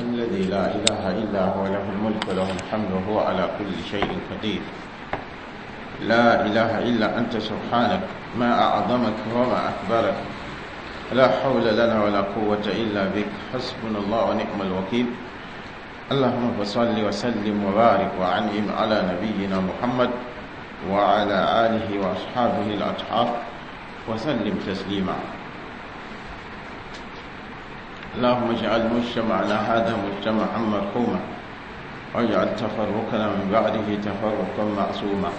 الذي لا إله إلا هو، له الملك وله الحمد وهو على كل شيء قدير. لا إله إلا أنت سبحانك، ما أعظمك وما أكبرك. لا حول لنا ولا قوة إلا بك، حسبنا الله ونعم الوكيل. اللهم صل وسلم وبارك وعنعم على نبينا محمد وعلى آله وأصحابه الأطهار وسلم تسليما. اللهم اجعل مجتمعنا هذا مجتمعا مرحوما، واجعل تفرقنا من بعده تفرقا معصوما.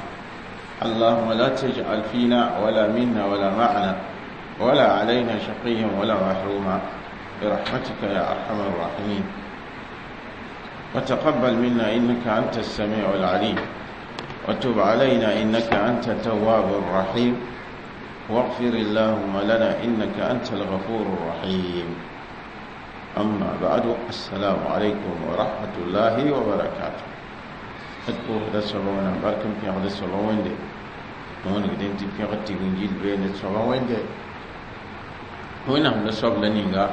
اللهم لا تجعل فينا ولا منا ولا معنا ولا علينا شقيا ولا محروما، برحمتك يا أرحم الراحمين. وتقبل منا إنك أنت السميع العليم، وتب علينا إنك أنت التواب الرحيم، واغفر اللهم لنا إنك أنت الغفور الرحيم. أما بعد، السلام عليكم ورحمة الله وبركاته. أتبوه دا سبعون باركم في هذا سبعون دي نون قدين تفي غتي ونجيل بين سبعون دي وين هم نصب لنينغا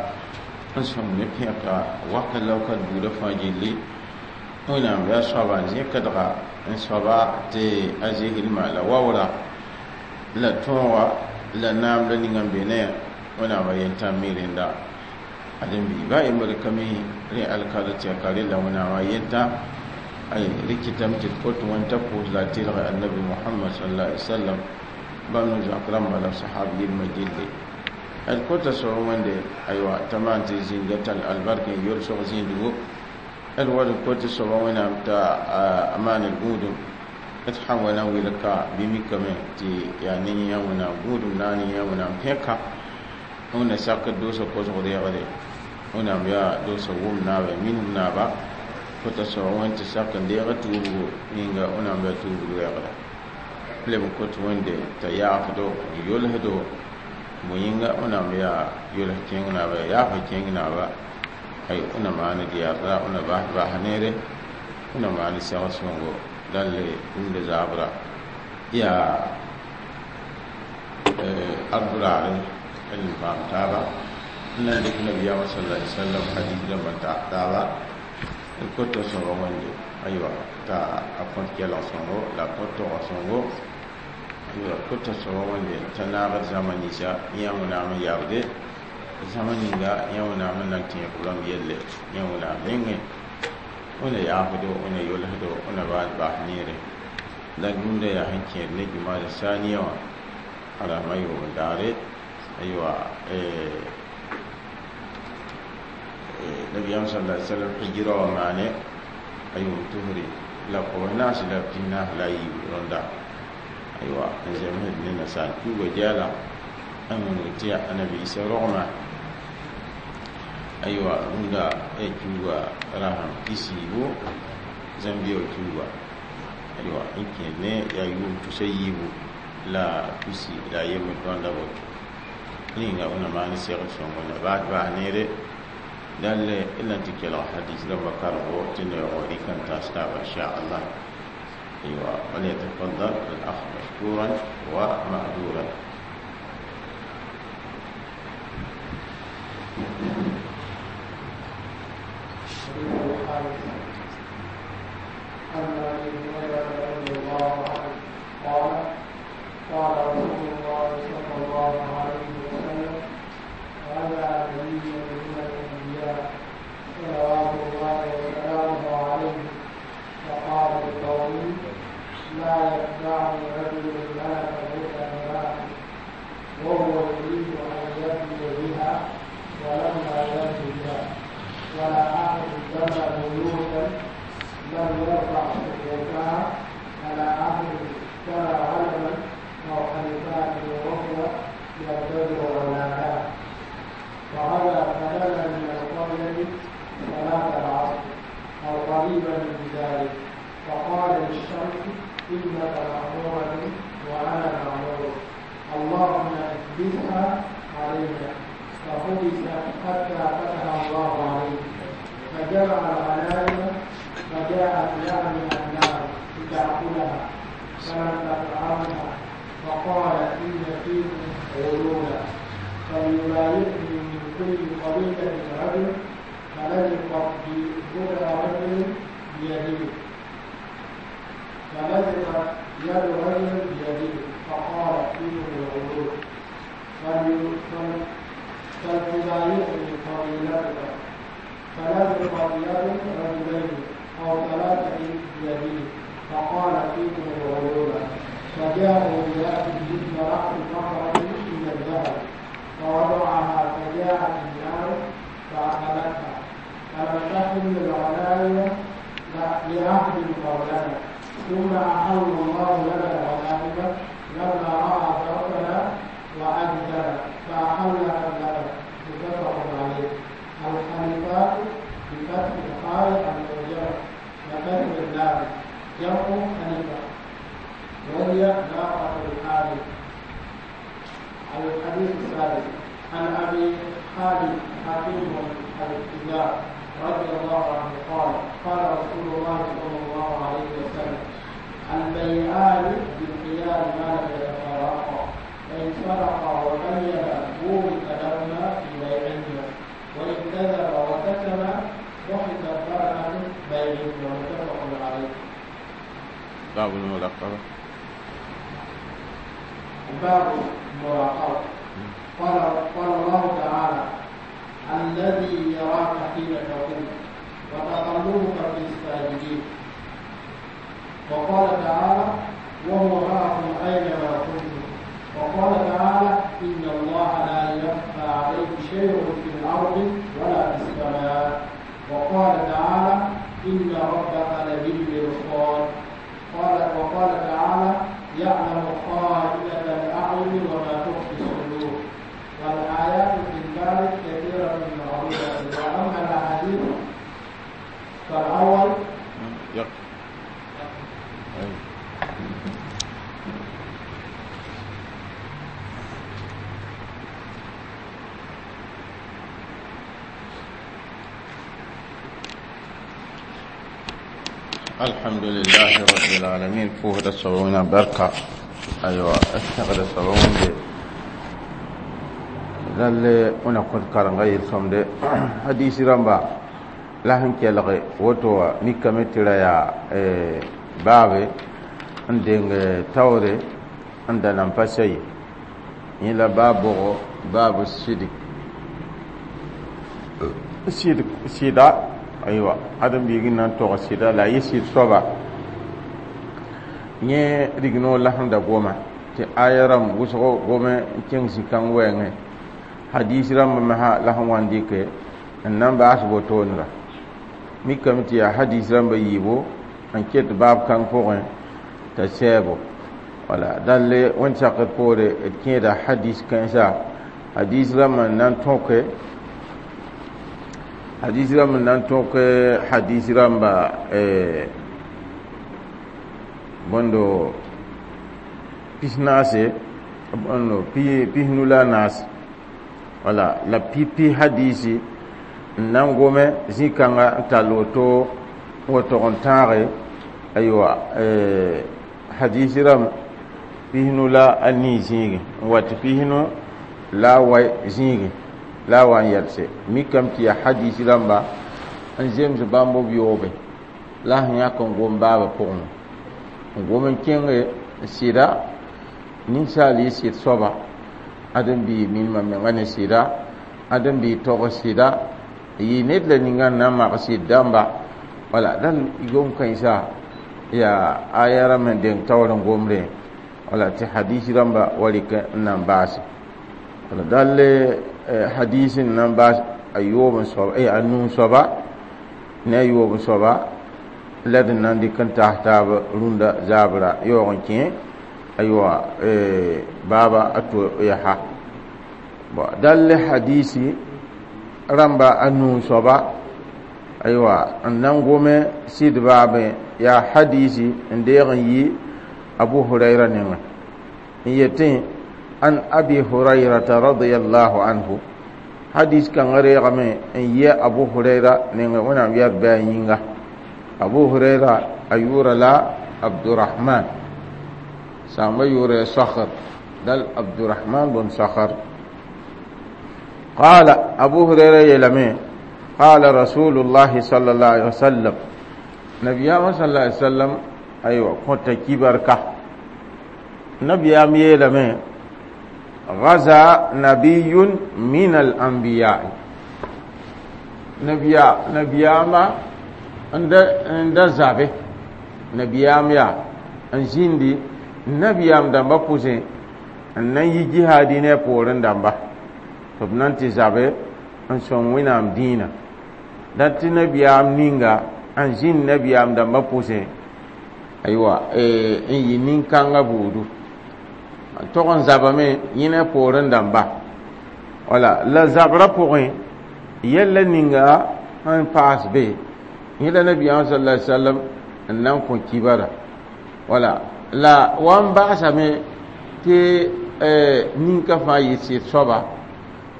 نصب نبيك وقت لو كان بودا فاجيلي وين هم يا سبعون زي كدغا نصبا تي أزيه المال وورا لا توا لا نام لنينغا بينه وين هم ينتمي لندا adin bi ba imar kami ri alkala ti akari la wana wa yenta ay rikitam ti kotu wan ta ko la tilga annabi muhammad sallallahu alaihi wasallam banu zakram wala sahabi majilli al kota so wande aywa tamanti zingatal albarka yor so zindugo al wad kota so wana ta aman al gudum athawana wilka bimikame ti ya ni ya wana gudum nani ya wana peka ona sak dosa kosg reegre wẽnnaam yaa dosa wʋm naaba minim naaba kota soaba wẽnd tɩ sak n deega tuubgo yĩnga wẽnnaam yaa tuubg reegra leb n kot wẽnde t'a yaafdo n yolsdo bõ yĩnga wẽnnaam yaa yols kẽng naaba yaa yaafa kẽng naaba ay wẽnna maan d yarda wẽnna bas bas neere wẽnna maan sɛg sõngo dãlle rũndã zaabra yaa arduraare n paam taaba n na dɩk nabiyaamã sala alai sallam hadis rãmbã taaba n kota sõba wẽnde aywa t'a a kõt kelg sõngo la a kõt togg sõngo aywa kota soaba wẽnde t'a naagd zãma ninsã yã wẽnnaam n yabde zãma ninga yã wẽnnaam n na n tẽeg rãmb yelle yã wẽnnaam mengẽ wẽna yaafdo wẽna yolsdo wẽna baas bas neere la gũudã yaa sẽn kẽed ne jumada saniya wã arama yoom daare aywa nabiyam sallallahu alaihi wasallam hijra wa maane ayum tuhri la ko nas la tinna la yi ronda aywa nzem ne na sa ku go jala an mun tiya annabi isa rogma aywa runda e kuga raham kisibo zambia kuga aywa ikene ya yum tusayibu la kusi la yem ronda boto ninga una maani segl sõngo la baas baas neere dalle ila tɩ kelg hadis rãmba kargo tɩ neoogo rɩk n taas taaba inchallah. أيوة وليتفضل الأخ مشكورا ومأجورا. عن أبي هريرة رضي الله عنه قال قال رسول الله صلى الله عليه وسلم: هذا نبي من الأنبياء صلوات الله وسلامه عليه، فقال لقومه: لا يتبعني رجل ملك هدى امرأة وهو يريد أن يبني بها ولما يبني بها، ولا أحد بنى بيوتا لم يرفع سقوفها، ولا أحد اشترى علما أو خلفات وهو يرتدي أولادها. وهذا فدنا من القرية صلاة العصر أو قريبا من ذلك، فقال للشمس: إنك مأمورة وأنا مأمور، اللهم احبسها علينا. فحبست حتى فتح الله عليه، فجمع الغنائم فجاءت يعني النار لتأكلها فلم تطعمها، فقال: إن فيكم غلولا، فليبايعني من كل قبيلة رجل، فلزقت بضع رجل بيده فلزقت يد رجل بيده فقال فيهم الغلول فلتبايعني قبيلتك. فلزقت يد رجلين أو ثلاثة بيده فقال فيكم الغلول. فجاءوا برأس مثل رأس بقرة من الذهب فوضعها فجاءت النار فأكلتها. فلم تحل الغنائم لأحد قبلنا. ثم أحل الله لنا الغنائم لما رأى ضعفنا وعجزنا فأحلها لنا. متفق عليه. الخليفات بفتح الخاء المعجمة وكسر اللام جمع خليفة، وهي ناقة الحامل. الحديث السادس: عن أبي خالد حكيم الحذاء رضي الله عنه قال: قال رسول الله صلى الله عليه وسلم: البيعان بالخيار ما لم يتفرقا، فإن صدقا وبينا بورك لهما في بيعهما، وإن كذب وكتم ضحكت بركة بيعهما. متفق عليه. باب المراقبة. باب المراقبة. قال الله تعالى: الذي يراك حين تقوم وتقلبك في الساجدين. وقال تعالى: وهو معكم أينما كنتم. وقال تعالى: إن الله لا يخفى عليه شيء في الأرض ولا في السماء. وقال تعالى: إن ربك لبالمرصاد. وقال تعالى: يعلم خائنة الأعين وما تخفي الصدور. والآيات في الباب كثيرة معروفة. وأما الأحاديث فالأول الحمد لله رب العالمين. فوهد الصبعون بركة. أيوة اشتغل الصبعون دي lalle ona kod karanga yel somde hadisi ramba la sẽn kelge woto wã mikame tɩ ra yaa baabe n deng taoore n da nan pa sa ye yẽ la baab bʋgo baabu sidik sɩd sɩda aywa ãdem-biig n na n tog sɩda la a yɩ sɩd soaba yẽ rignoor la sẽn da goma tɩ aya rãmb wʋsgo gome n kẽng zĩ-kãng wɛɛngẽ hadis rãmb me sã la sẽn wa n dɩke n na n baas wotoonra mikame tɩ yaa hadis rãmba yiibo n ket baab kãng pʋgẽ t'a sɛɛbo wala dãlle wẽnd sakd poore d kẽeda hadis kãensa hadis rãmb n na n tõke hadis rãmb n na n tõk hadis rãmba bõndo pisnaase bõndo pisnu la a naase wala la pipi hadisi n na n gome zĩ-kãnga n tall woto n wa tog n tãage aywa hadisi rãmb pisnu la a nii zĩigẽ n wa tɩ pisnu la a wai zĩigẽ la a wa n yɛlse mikame tɩ yaa hadisi rãmba n zems bãmb b yoobe la sẽn yãk n gom baabã pʋgẽ n gom n kẽnge sɩda ninsaal yɩ sɩd soaba ãdem-biig minimã menga ne sɩda ãdem-biig tog sɩda yɩ ned la ninga n na n mag sɩd dãmba wala dãn gom kãensa yaa aya rãmb sẽn deng taoor n gomre wala tɩ hadis rãmba wa rɩk n na n baase wala dall hadis n na n baas a yoob n soaba a nuu soaba ne a yoob n soaba la d na n dɩk n taas taab rũndã zaabra yaoog n kẽ aywa baaba a to yaa bon dall hadisi rãmba a nuu soaba aywa n na n gome sɩd baabẽ yaa hadisi n deeg n yi abu huraira nengẽ n yetẽ an abi hurairata radiallahu anhu hadis kãngã reegame n yi abu huraira nengẽ wẽnnaam yɛr bɩ a yĩnga abu huraira a yʋʋra la abdurahman sãambã yʋʋra sakr dal abdurahman bn sakr qala abu huraira yeelame قال رسول الله صلى الله عليه وسلم نبي صلى الله عليه وسلم أيوة كنت كبرك نبي يلمي غزا نبي من الأنبياء نبي نبياما عند زابه نبيام يا ان nabiyam dãmba pʋsẽ n na n yi jihaadi ne a poorẽ dãmba tɩ b na n tɩ zabe n sõng wẽnnaam dĩinã dat tɩ nabiyaam ninga n zĩnd nabiyaam dãmba pʋsẽ aywa n yɩ nin-kãngã buudu tog n zabame yẽ ne poorẽ dãmba wala la zabrã pʋgẽ yɛlla ninga sẽn paas be yẽ la nabiyaam sala alai sallam n na n kõ kibara wala la wa n baasame tɩ ninka fãa yɩ sɩd soaba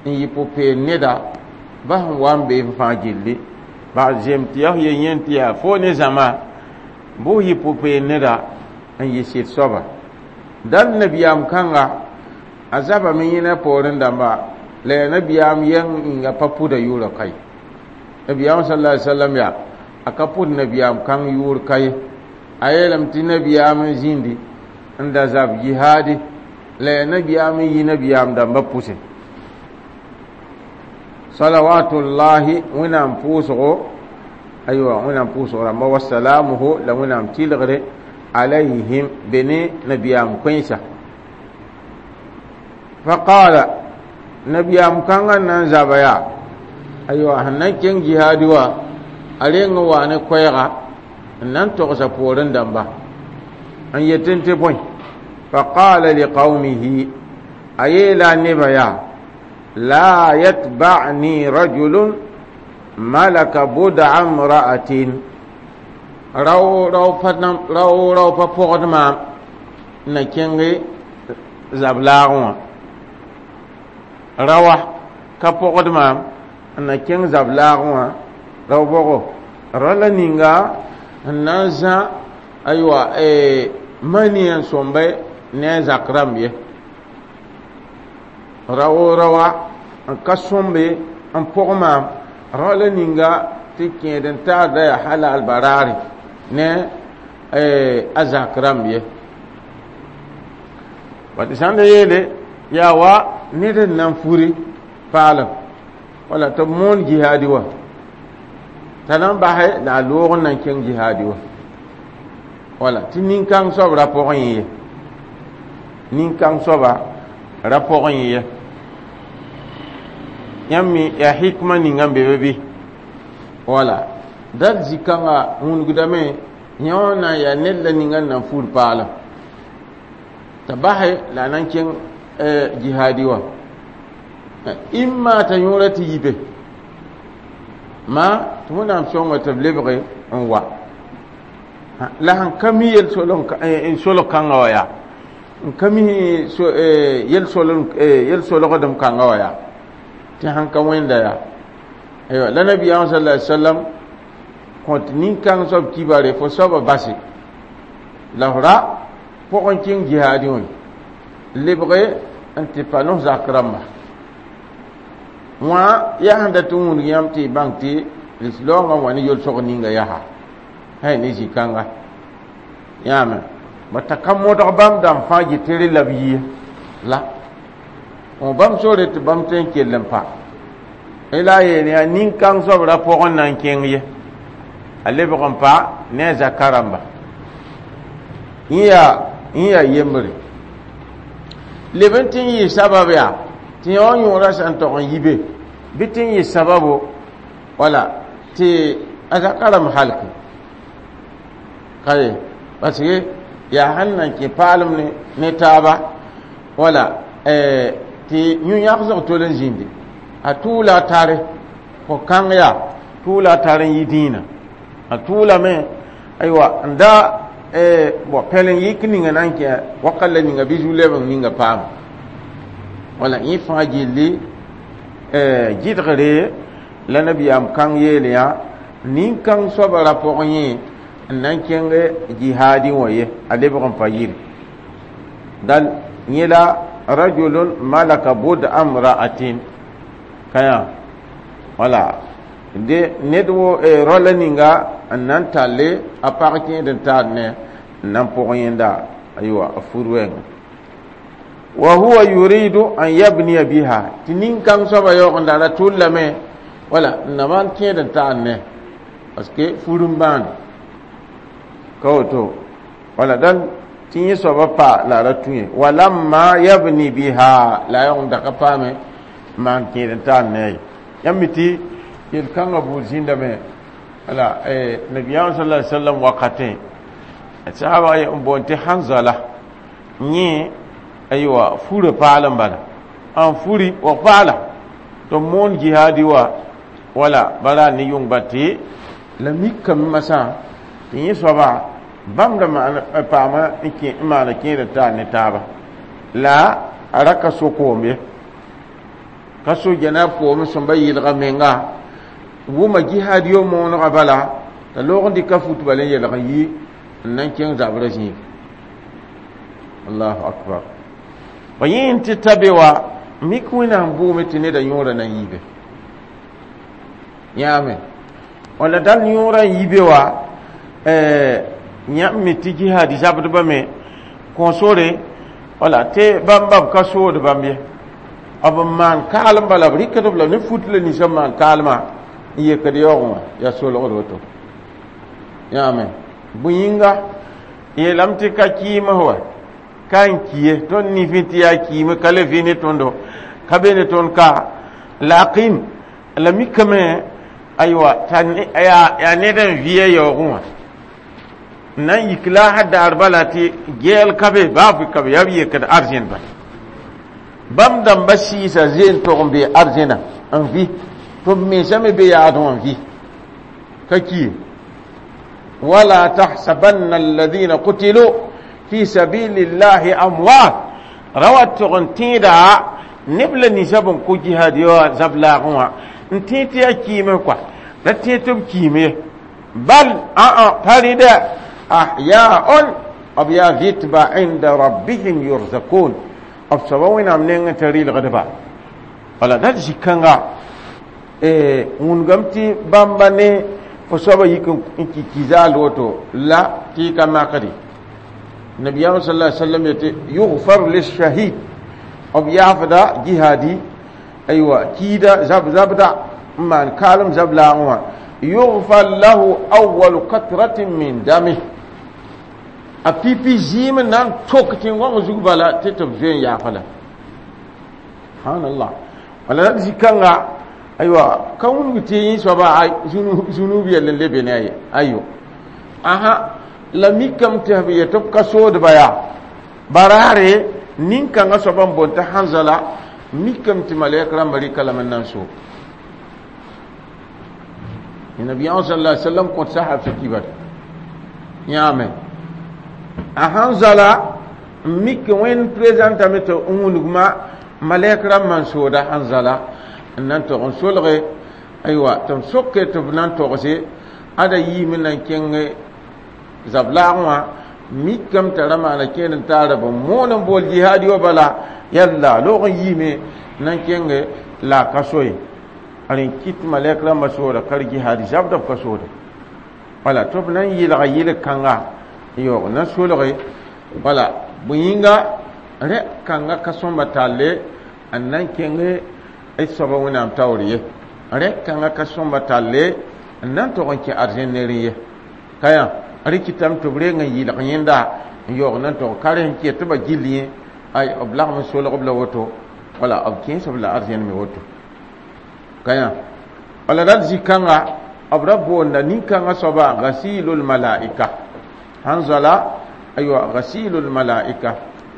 n yɩ pʋ-peem neda ba sẽn wa n bee fãa gilli baa zem tɩ yaa f ye yẽn tɩ yaa fo ne zãma bʋ yɩ pʋ-peem neda n yɩ sɩd soaba dal nabiyaam kãnga a zabame yẽna poorẽ dãmba la yaa nabiyaam yɛng yĩnga pa pʋda yʋʋra ka ye nabiyaam sala alai sallam yaa a ka pʋd nabiyaam kãng yʋʋr ka ye a yeelame tɩ nabiyaam n zĩndi n da zab jihaadi la yaa nabiyaam n yi nabiyaam dãmba pʋsẽ salawatullahi wẽnnaam pʋʋsgo aywa wẽnnaam pʋʋsg rãmba wasalamuhu la wẽnnaam tɩlgre alayhim be ne nabiyaam kẽnsa faqala nabiyaam kãngã n na n zaba yaa aywa sẽn na n kẽng jihaadi wa a reng n waa ne koɛɛga n na n togsa poorẽ dãmba n yetẽ tɩ bõe faqala liqaumihi a yeela a nebã yaa la yatba'ni rajulun malaka bud'a imra'atin rao rao pa rao rao pa pɔgd maam na kẽnge zab laagẽ wã rawa ka pɔgd maam n na kẽng zab laagẽ wã rao bɔgo ra la ninga n na n zã aywa mani n sõmbe ne a zak rãmb ye rao rawa n ka sõmbe n pʋg maam ra la ninga tɩ kẽed n taarda yaa halal baraare ne a zak rãmb ye ba tɩ sãn da yeele yaa wa ned n na n furi paalem wala tɩ b moon jihaadi wa t'a na n basɛ la a loog n na n kẽng jihaadi wa wala tɩ nin-kãng soab ra pʋgẽ yẽ ye nin-kãng soaba ra pʋgẽ yẽ ye yãmb me yaa hikma ninga n be be bɩ wala dal zĩ-kãngã wũnugdame yẽ wã na n yaa ned la ninga n na n fur paalem t'a basɛ la a na n kẽng jihaadi wã imma t'a yõora tɩ yi be ma tɩ wẽnnaam sõnga tɩ b lebge n wa la sẽn ka mi yel-solg kãngã wã yaa n ka mi yel-solgdem kãngã wã yaa tɩ sãn ka wẽnda yaa aywa la nabiyaam sala alai sallam kõt nin-kãng soab kibare fo soabã base la f ra pʋgẽ kẽng jihaadẽ wã lebge n tɩ pa no zak rãmba wã yaa sẽn dat n wũnug yãmb tɩ y bãng tɩ lislaoongã wã ne yel-sog ninga yaa hay ne zĩ-kãnga yãame ba t'a ka modg bãmb dãmb fãa yetɩ rẽ la b yie la bãmb sore tɩ bãmb tõe n kell n pa la a yeel yaa nin-kãng soab ra pʋgẽ na n kẽng ye a lebg n pa ne a zaka rãmba yẽ yaa yembre leb n tɩ n yɩ sabab yaa tɩ yã wã yõorã sã n tog n yi be bɩ tɩ n yɩ sababo wala tɩ a zaka rãmb halke ka ye parce que yaa sẽn na n kẽ paalem ne taaba wala tɩ yũ-yãgsg tol n zĩndi a tʋʋla a tare ko-kãng yaa tʋʋla a tar n yi dĩinã a tʋʋlame aywa n da bon pɛl n yik ninga na n kẽ wakat la ninga bɩ zu-lɛb n ninga paama wala yẽ fãa gilli gɩdgre la nabiyaam kãng yeel yã nin-kãng soabã ra pʋgẽ yẽ n na n kẽng jihaadẽ wã ye a lebg n pa yiri dal yẽ la rajulun malaka bud amra'atin kaya wala De ned wo rola ninga n na n talle a pag kẽed n taar ne n na n pʋg yẽnda aywa a fur wɛɛngã wa huwa yuridu an yabniya biha tɩ nin-kãng soaba yaoog n da ra tʋllame wala n na maan kẽed n taar ne parce que fur n bãande ka woto wala dãn tɩ yẽ soaba pa la a ra tũ ye walamma yabni biha la a yaoog n da ka paame maan kẽed n taar ne ye yãmb mi tɩ yel-kãngã buud zĩndame wala nabiyaam sallallahu alaihi wasallam wakatẽ sahaba n boond tɩ Hanzala yẽ aywa furã paal n bala n furi wa paala tɩ b moon jihaadi wa wala bara ne yʋng ba tɩ la mikame masã tɩ yẽ soaba bãmb da paama n maana kẽed n taar ne taaba la a ra ka so koom ye ka so janaab koom sẽn ba yɩlga menga wʋma jihaad yo moonegã bala t'a loog n dɩka fut bala n yelg n yi n na n kẽng zabrã zĩig allahu akbar ba yẽ tɩ ta be wa mik wẽnnaam bʋʋme tɩ neda yõorã na n yiibe yãame wala dal yõorã n yiibe wa yãmb me tɩ jihaad zabdbã me kõ sore wala tɩ bãmb b ka sood bãmb ye b n maan kaalem bala b rɩkd b la ne fut la ninsã n maan kaalmã n yekd yaoogẽ wã yaa solgd woto yãame bõe yĩnga yeelame tɩ ka kɩɩms wa ka n ki ye tõnd nifẽ tɩ yaa kiime ka le vɩ ne tõndo ka be ne tõnd ka lakin la mikame aywa t'a yaa ned n vɩ a yaoogẽ wã n na n yik la a daar bala tɩ gɛɛl ka be baa ka be yaa b yekd arzẽn bala bãmb dãmba sɩɩsa zeen tog n be arzẽna n vɩ tɩ b mensã me be yaadẽ wã n vɩ ka ki wala tahsabanna alladhina qutilu fi sabilillahi amwat ra wa tog n tẽeda neb la ninsã b n kʋ jihad yo zab laagẽ wã n tẽ tɩ yaa kiime kɔa ra tẽ tɩ b kiime ye bal ã pa rɩdɛ ahyaun b yaa vɩtba inda rabbihim yurzakun b soaba wẽnnaam nengẽ t'a rɩlgdba wala dat zĩ-kãnga wũnugame tɩ bãmba ne fo soaba yik n ki kizaal woto la tɩ y ka makde nabiyaam sallallahu alaihi wasallam yetɩ yughfar lishahid b yaafda jihadi aywa kiida zab zabda n maan kaalem zab laagẽ wã yughfar lahu awwalu katratin min damih a pipi zɩɩm n na n tok tẽn-gõng zug bala tɩ tɩ b zoe n yaafa la subhanallah wala la zĩ-kãnga aywa ka wũnug tɩ yẽ soaba zunub yɛl n lebe ne a ye ayo aha la mikame tɩ b yetɩ b ka soodba yaa baraare nin-kãngã soaba n boond tɩ Hanzala mikame tɩ malɛk rãmbã rɩka lame n na n so nabiyaam sallallahu alaihi wasallam kõt sahab sã kibar yãame a Hanzala n mik wẽnd présentame tɩ n wũnugma malɛk rãmbã n sooda Hanzala n na n tog n solge aywa tɩ b soke tɩ b na n togse ada yiime na n kẽng zab laagẽ wã mikame t'a ra maana kẽed n taara b moon n bool jihaad yo bala yalla loog n yiime na n kẽnge la a ka so ye rẽ kɩt malɛk rãmbã sooda ka jihaad zabda b ka sooda wala tɩ b na n yɩlga yɩl-kãnga n yaoog na solge wala bõe yĩnga rẽ kãnga ka sõmba talle n na n kẽng d soaba wẽnnaam taoor ye rẽ kãngã ka sõmba talle n na n tog n kẽ arzẽn nerẽ ye ka yã rẽ kɩtame tɩ b reng n yɩlg yẽnda n yaoog na n tog ka rẽ n ket tɩ ba gill yẽ ay b lagm n solg b la woto wala b kẽes b la arzẽn me woto ka yã wala dat zĩ-kãnga b ra boonda nin-kãngã soaba ghasilul malaika Hanzala aywa ghasilul malaika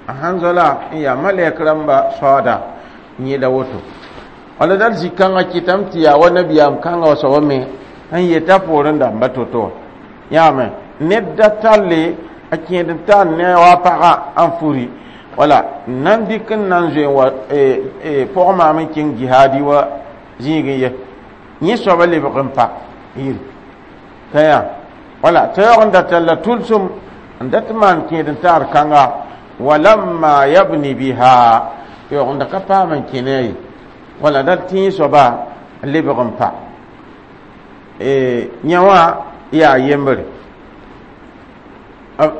Hanzala n yaa malɛk rãmba saooda n yẽla woto wala dat zĩ-kãngã kɩtame tɩ yaa wa nabiyaam kãngã wa soaba me n yeta poorẽ dãmba to-to yãame ned da talle a kẽed n tar ne wa pagã n furi wala n na n dɩk n na n zoe n wa pʋg maam n kẽng jihaadi wa zĩigẽ ye yẽ soaba lebg n pa yiri ka yaa wala t'a yaoog n da talla tʋlsem n dat maan kẽed n taar kãnga walamma yabni biha yaoog n da ka paam n kẽ ne ye wala dat tẽ soaba n lebg n pa. Yẽ wã yaa yembre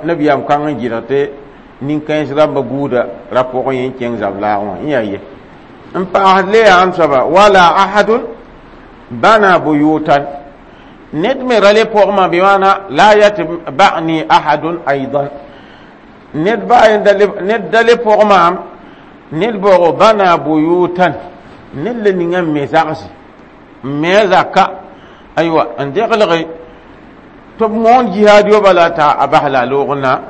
nabiyaam kãng n gɩdg tɩ nin-kãens rãmba buuda ra pʋgẽ yẽ n kẽng zab laag wã yẽ yaa ye n paasd le yaa n soaba wala ahadun bana buyutan ned me ra le pʋgmã bɩ maana la yatba'ni ahadun aidan ned ba ned da le pʋg maam ned baoogo bana buyutan ned le ninga n me zagse n me a zaka aywa n deglge tɩ b moon jihaad yo bala t'a a bas la a loog na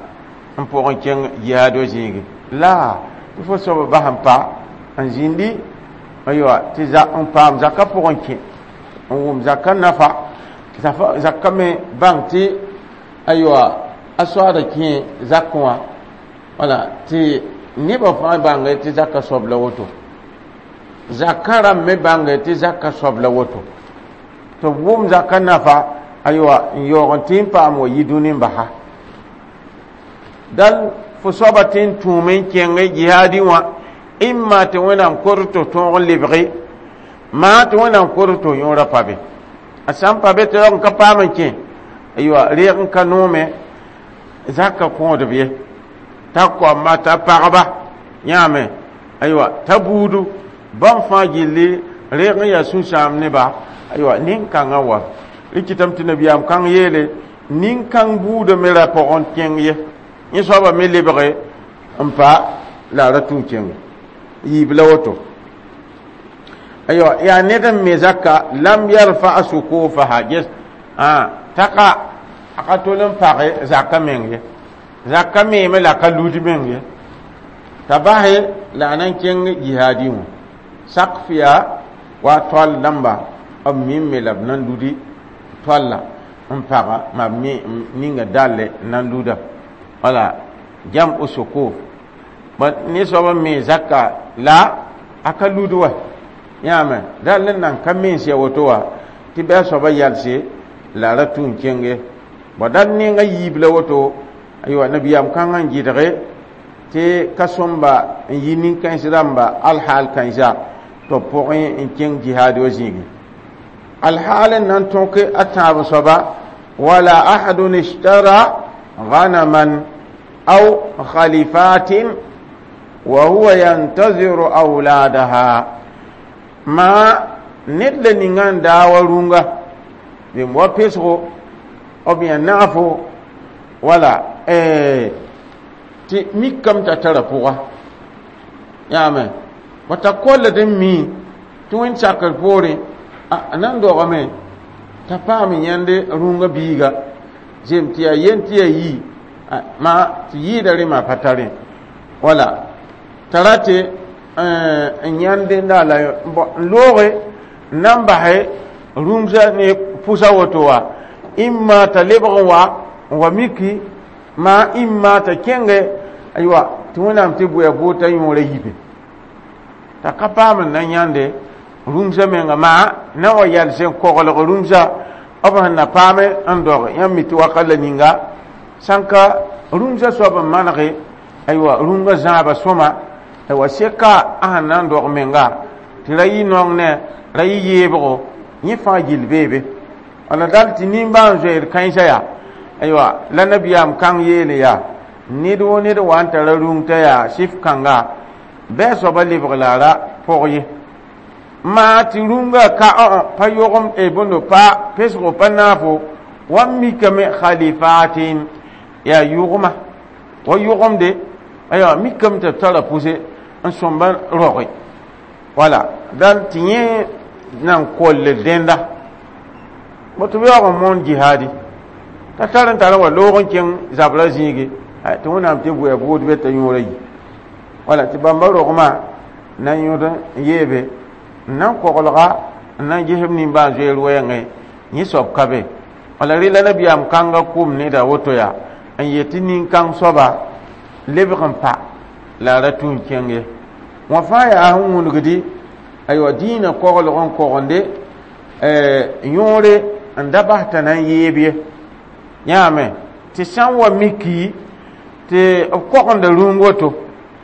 n pʋg n kẽng jihaad wa zĩigi la tɩ fo soaba bas n pa n zĩndi aywa tɩ n paam zakã pʋgẽ kẽ n wʋm zakã nafa zakã me bãng tɩ aywa a soaada kẽ zakẽ wã wala tɩ nebã fãa bãnge tɩ zakã soab la woto zakã rãmb me bãnge tɩ zakã soab la woto tɩ b wʋm zakã nafa aywa n yaoog n tɩ n paam wa yi dũni n basa dal fo soaba tɩ n tũume n kẽng jihaadi wã imma tɩ wẽnnaam kor tɩ tõog n lebge maa tɩ wẽnnaam kor tɩ yõora pa be a sã n pa be tɩ yaoog n ka paam n kẽ aywa reeg n ka noome zakã kõodb ye t'a koamba t'a pagba yãame aywa t'a buudu bãmb fãa gilli reeg n yaa sũ-sãam neba aywa nin-kãngã wa rɩkɩtame tɩ nabiyaam kãng yeele nin-kãng buudã me ra pʋgẽ kẽng ye yẽ soabã me lebge n pa la a ra tũ kẽnge yiib la woto aywa yaa ned n me zaka lam yarfa sukufaha ges taka a ka tol n page zaka meng ye zaka meeme la ka lud meng ye t'a base la a na n kẽng jihaadi wã sak yaa wa toal dãmba b mimme la b na n ludi toalla n paga ma b ninga dalle n na n luda wala jam sukuf ne soab n me zaka la a ka lud wa yãame dal n nan ka mens ya woto wa tɩ bɩ a soaba yalse la a ra tũ n kẽnge bõ dal nenga yiib la woto aywa nabiyaam kãngã n gɩdge tɩ ka sõmba n yi nin-kãens rãmba alhaal kãensa tɩ b pʋgẽ n kẽng jihaad wa zĩigi alhaal n na n tõk a tãab soaba wala ahadun ishtara غنما أو خليفات وهو ينتظر أولادها ما ned la ninga n daa wa rũnga bɩ wa pesgo b yã naafo wala tɩ mikame t'a tara pʋga yaame wa t'a kolld n mi tɩ wẽnd sakr poorẽ a nan dogame t'a paam yãnd rũngã biiga zem tɩ yaa yen tɩ yaa yi ma tɩ yɩɩda rẽ maa pa tarẽ wala t'a ra tɩ n yãnd la n looge n na n basɛ rũmsã ne pʋsa woto wa imma t'a lebg n wa n wa miki maa imma t'a kẽnge aywa tɩ wẽnnaam tɩ bʋa boota yõora yibe t'a ka paam n na yãnde rũmsã menga maa na wa yals n koglg rũmsã b sẽn na paame n dog yãmb mi tɩ wakat la ninga sãn ka rũmsã soab n manege aywa rũngã zãaba sõma aywa seka a sẽn na n dog menga tɩ ra yɩ naong ne ra yɩ yeebgo yẽ fãa gill beebe wala dal tɩ nimbãan zoeer kãensã yaa aywa la nabiyaam kãng yeele yaa ned wo ned wa n tara rũng t'a yaa sɩf kãnga bɩ a soaba lebg la a ra pʋg ye maa tɩ rũngã ka pa yogem bõndo pa pesgo pa naafo wa mikame khalifatin yaa yʋgma wa yʋgemde aywa mikame tɩ b tara pʋse n sõmba roge wala dal tɩ yẽ nan koll dẽnda tɩ b yaoog n moon jihaadi t'a tar n tar n wa loog n kẽng zabra zĩige tɩ wẽnnaam tɩ bʋa buud be t'a yõora yi wala tɩ bãmba rogmã na n yõd n yeebe n na n koglga n na n ges b nimbãan zoeer wɛɛngẽ yẽ soab ka be wala rela nabiyaam kãngã kʋm neda woto yaa n yet tɩ nin-kãng soaba lebg n pa la a ra tũ n kẽng ye wã fãa yaa sẽn wũnugdi aywa dĩinã koglg n kogende yõore n da bas t'a na n yeeb ye yãame tɩ sã n wa miki tɩ b kogenda rũng woto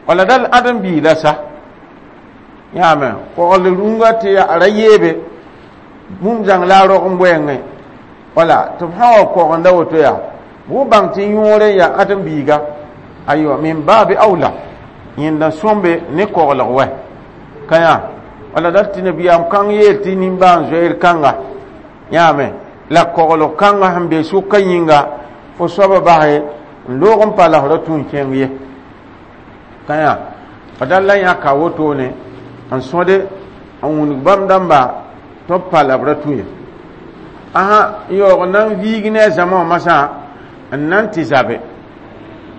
wala dal ãdem-biig la sa yãame kogl rũngã tɩ a ra yeebe bũmb zãng la a rog n wɛɛngẽ Wala tɩ b sã wa kogenda woto yaa bʋ bãng tɩ yõore n yaa ãdem-biiga aywa min baabi awla yẽnda sõmbe ne koglg wɛ ka yã wala dat tɩ nabiyaam kãng yeel tɩ nimbãan-zoeer kãnga yãame la koglg kãngã sẽn be sʋka yĩnga fo soaba base n loog n pa la f ra tũ n kẽng ye ka yã fa dal la yãka wotone n sõde n wũnug bãmb dãmba tɩ b pa la b ra tũ ye asa yaoog n na n viig ne a zãma wã masã n na n tɩ zabe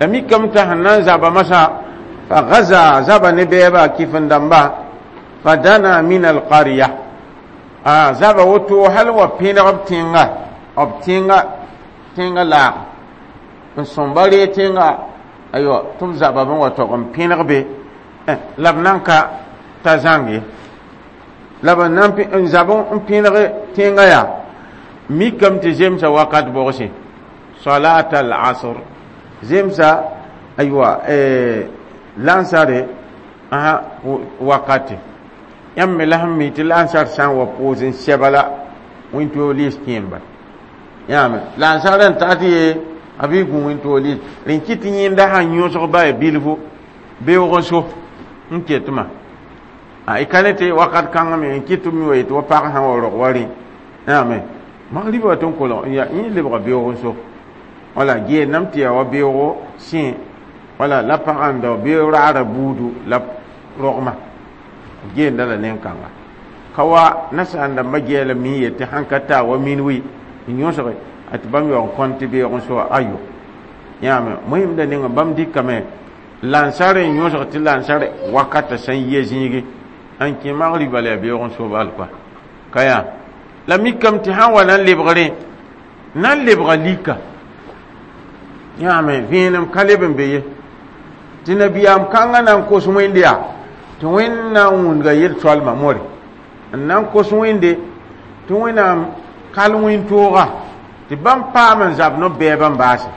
la mikame t'a sẽn na n zaba masã fa gaza zaba ne bɛɛba kɩf-n-dãmba fa dana min alqarya a zaba woto hal wa pẽneg b tẽnga b tẽnga tẽnga laag n sõmba ree tẽnga aywa tɩ b zaba b wa tog n pẽneg be la b nan ka ta zãng ye la b nan n zab n pẽneg tẽnga yaa mikame tɩ zemsa wakat bogse salat al asr zemsa aywa lansare aha wakati yãmb me la sẽn mi tɩ lansar sã n wa pʋʋs n sɛba la wẽn-toog liis kẽemba yãame lansar n ta tɩ ye a bɩ gũ wẽn-toog liis rẽn kɩ tɩ yẽnda sãn yõsg ba ya bilfu beoog n so n ketmã y ka ne tɩ wakat kãngã me n kɩt mi wa yetɩ wa pag sã wa rog wa rẽ yãame magriba wa tɩ n kolg ya yẽ lebga beoog n so wala geenam tɩ yaa wa beoogo sẽ wala la pagã n dao beoog raara buudu la rogma geenda la nen-kãnga ka wa nasaar dãmbã gɛɛla mi yetɩ sãn ka taa wa min-wi n yõsge a tɩ bãmb yaoog n kõn tɩ beoog n so ayo yãame moẽmda ninga bãmb dɩkame lansar n yõsg tɩ lansar wakata sẽn yɛ zĩigi n kẽ magriba la yaa beoog n so bal kɔa ka yaa la mikame tɩ sãn wa na n lebgrẽ na n lebga lika yãame vẽenem ka leb n be ye tɩ nabiyaam kãngã na n kos wẽnde yaa tɩ wẽnd na n wũndga yel-soalmã more n na n kos wẽnde tɩ wẽnnaam kal wẽn-tooga tɩ bãmb paam n zab no-bɛɛbã n baase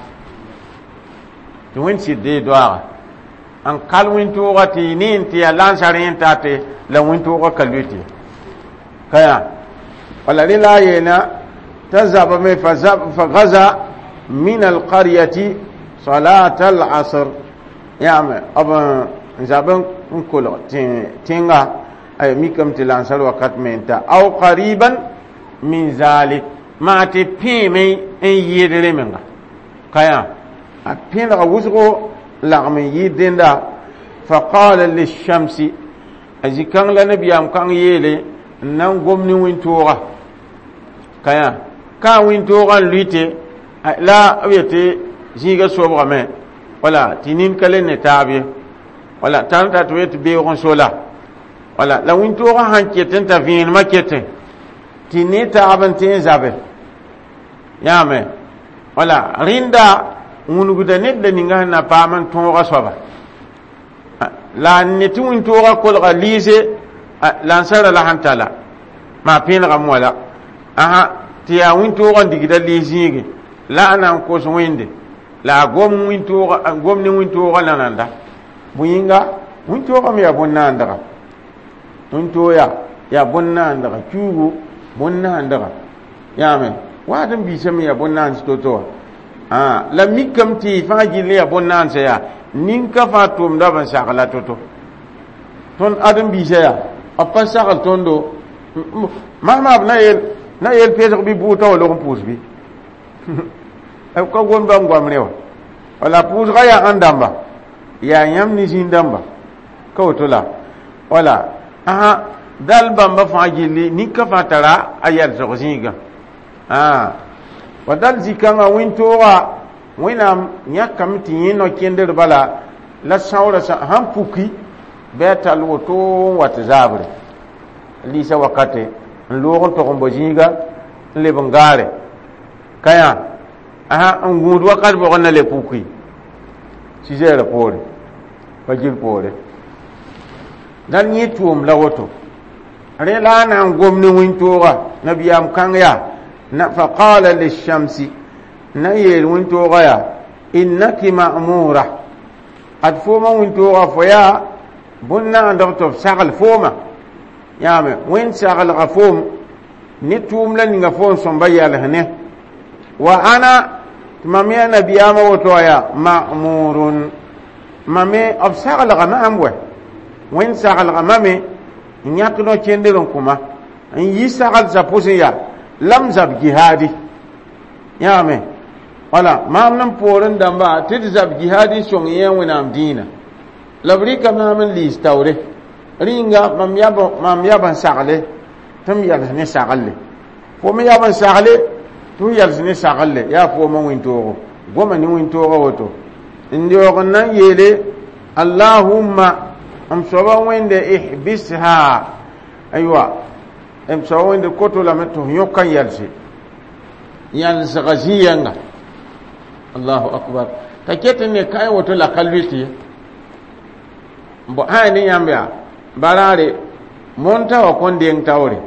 tɩ wẽnd sɩd dee doaaga n kal wẽn-tooga tɩ ne n tɩ yaa lansar yẽ tate la wẽn-toogã ka loe tɩ ka yaa wala rẽ la a yeena t'a zabame fa gaza min alqaryati salat al-asr yãame b n zab n kolg tẽnga ay mikame tɩ lansar wakat me n ta aw qariban min zalik maa tɩ pẽeme n yɩɩd rẽ menga ka yaa a pẽlga wʋsgo lagm n yɩɩd dẽnda fa qala lishamsi a zĩ-kãng la nabiyaam kãng yeele n na n gom ne wẽn-tooga ka yaa ka wẽn-toogã n lʋɩte la b yetɩ zĩiga sobgame wala tɩ nin ka le ne taab ye wala tãn ta tɩ yetɩ beoog n so la wala la wẽn-toogã sãn ket n t'a vẽenemã ketẽ tɩ ne taab n tẽ n zabe yãame wala rẽnda wũnugda ned la ninga sẽn na paam n tõoga soaba la ne tɩ wĩntoogã kolga liise lansara la sẽn tala maa pẽenegame wala asa tɩ yaa wĩntoogã n digda liis zĩige la a na n kos wẽnde la a gom wĩntoogã gom ne wĩntoogã la nanda bõe yĩnga wĩntoogã me yaa bõn-naandga wĩntoog yaa bõn-naandga kiuugu bõn-naandga yãame waat n biisame yaa bõn-naans to-to wã la mikame tɩ fãa gill yaa bõn-naandsã yaa nin-ka fãa tʋʋmda b n sagla to-to tõnd ãdem-biisã yaa b pa sagl tõndo masma b na yel pesg bɩ bʋʋta wa log n pʋʋs bɩ b ka gom bãmb goam rẽ wã wala pʋʋsgã yaa ãn dãmba yaa yãmb ne zĩig dãmba ka woto la wala asa dal bãmba fãa gilli nin-ka fãa tara a yɛlsg zĩigã wa dal zĩ-kãngã wẽn-tooga wẽnnaam yãkame tɩ yẽ no-kẽnder bala la sãoora sãn puki bɩ a tall woto n wa tɩ zaabre liisa wakate n loog n tog n bao zĩiga n leb n gaare ka yã asa n gũud wakat bʋgr na le puki sɩzɛɛrã poore pa gil poore dal yẽ tʋʋm la woto rẽ la a na n gom ne wĩntooga nabiyaam kãng yaa na fa qala lishamsi na yeel wĩntooga yaa innaki ma'mura ad fooma wĩntooga fo yaa bõn-naandg tɩ b sagl fooma yãame wẽnd saglga foom ne tʋʋm la ninga foom sõmba yɛls ne Wa ana tɩ mam yaa nabiyaamã woto wã yaa ma'murun. Mam me b saglga maam wɛ wẽnd saglga mame n yãk no-kẽnder n kõ-ma n yi saglsã pʋsẽ yaa la m zab jihaadi yãame wala maam n poorẽ dãmba tɩ d zab jihaadi n sõng yẽ wẽnnaam dĩinã la b rɩka maam n liis taoore rĩnga mam yab n sagle tɩ m yals ne saglle fo me yab n sagle tɩ f yals ne saglle yaa foomã wĩntoogo goma ne wĩntoogã woto n yaoog n na n yeele allahumma m soaba wẽnde ihbisha aywa m soaba wẽnde koto lame tɩ f yõk n yalse yãlsga zĩ-yɛnga allahu akbar. T'a ket n ne kaẽ woto la ka lʋɩt ye bõ sã ne yãmb yaa baraare monta wã kõn deng taoore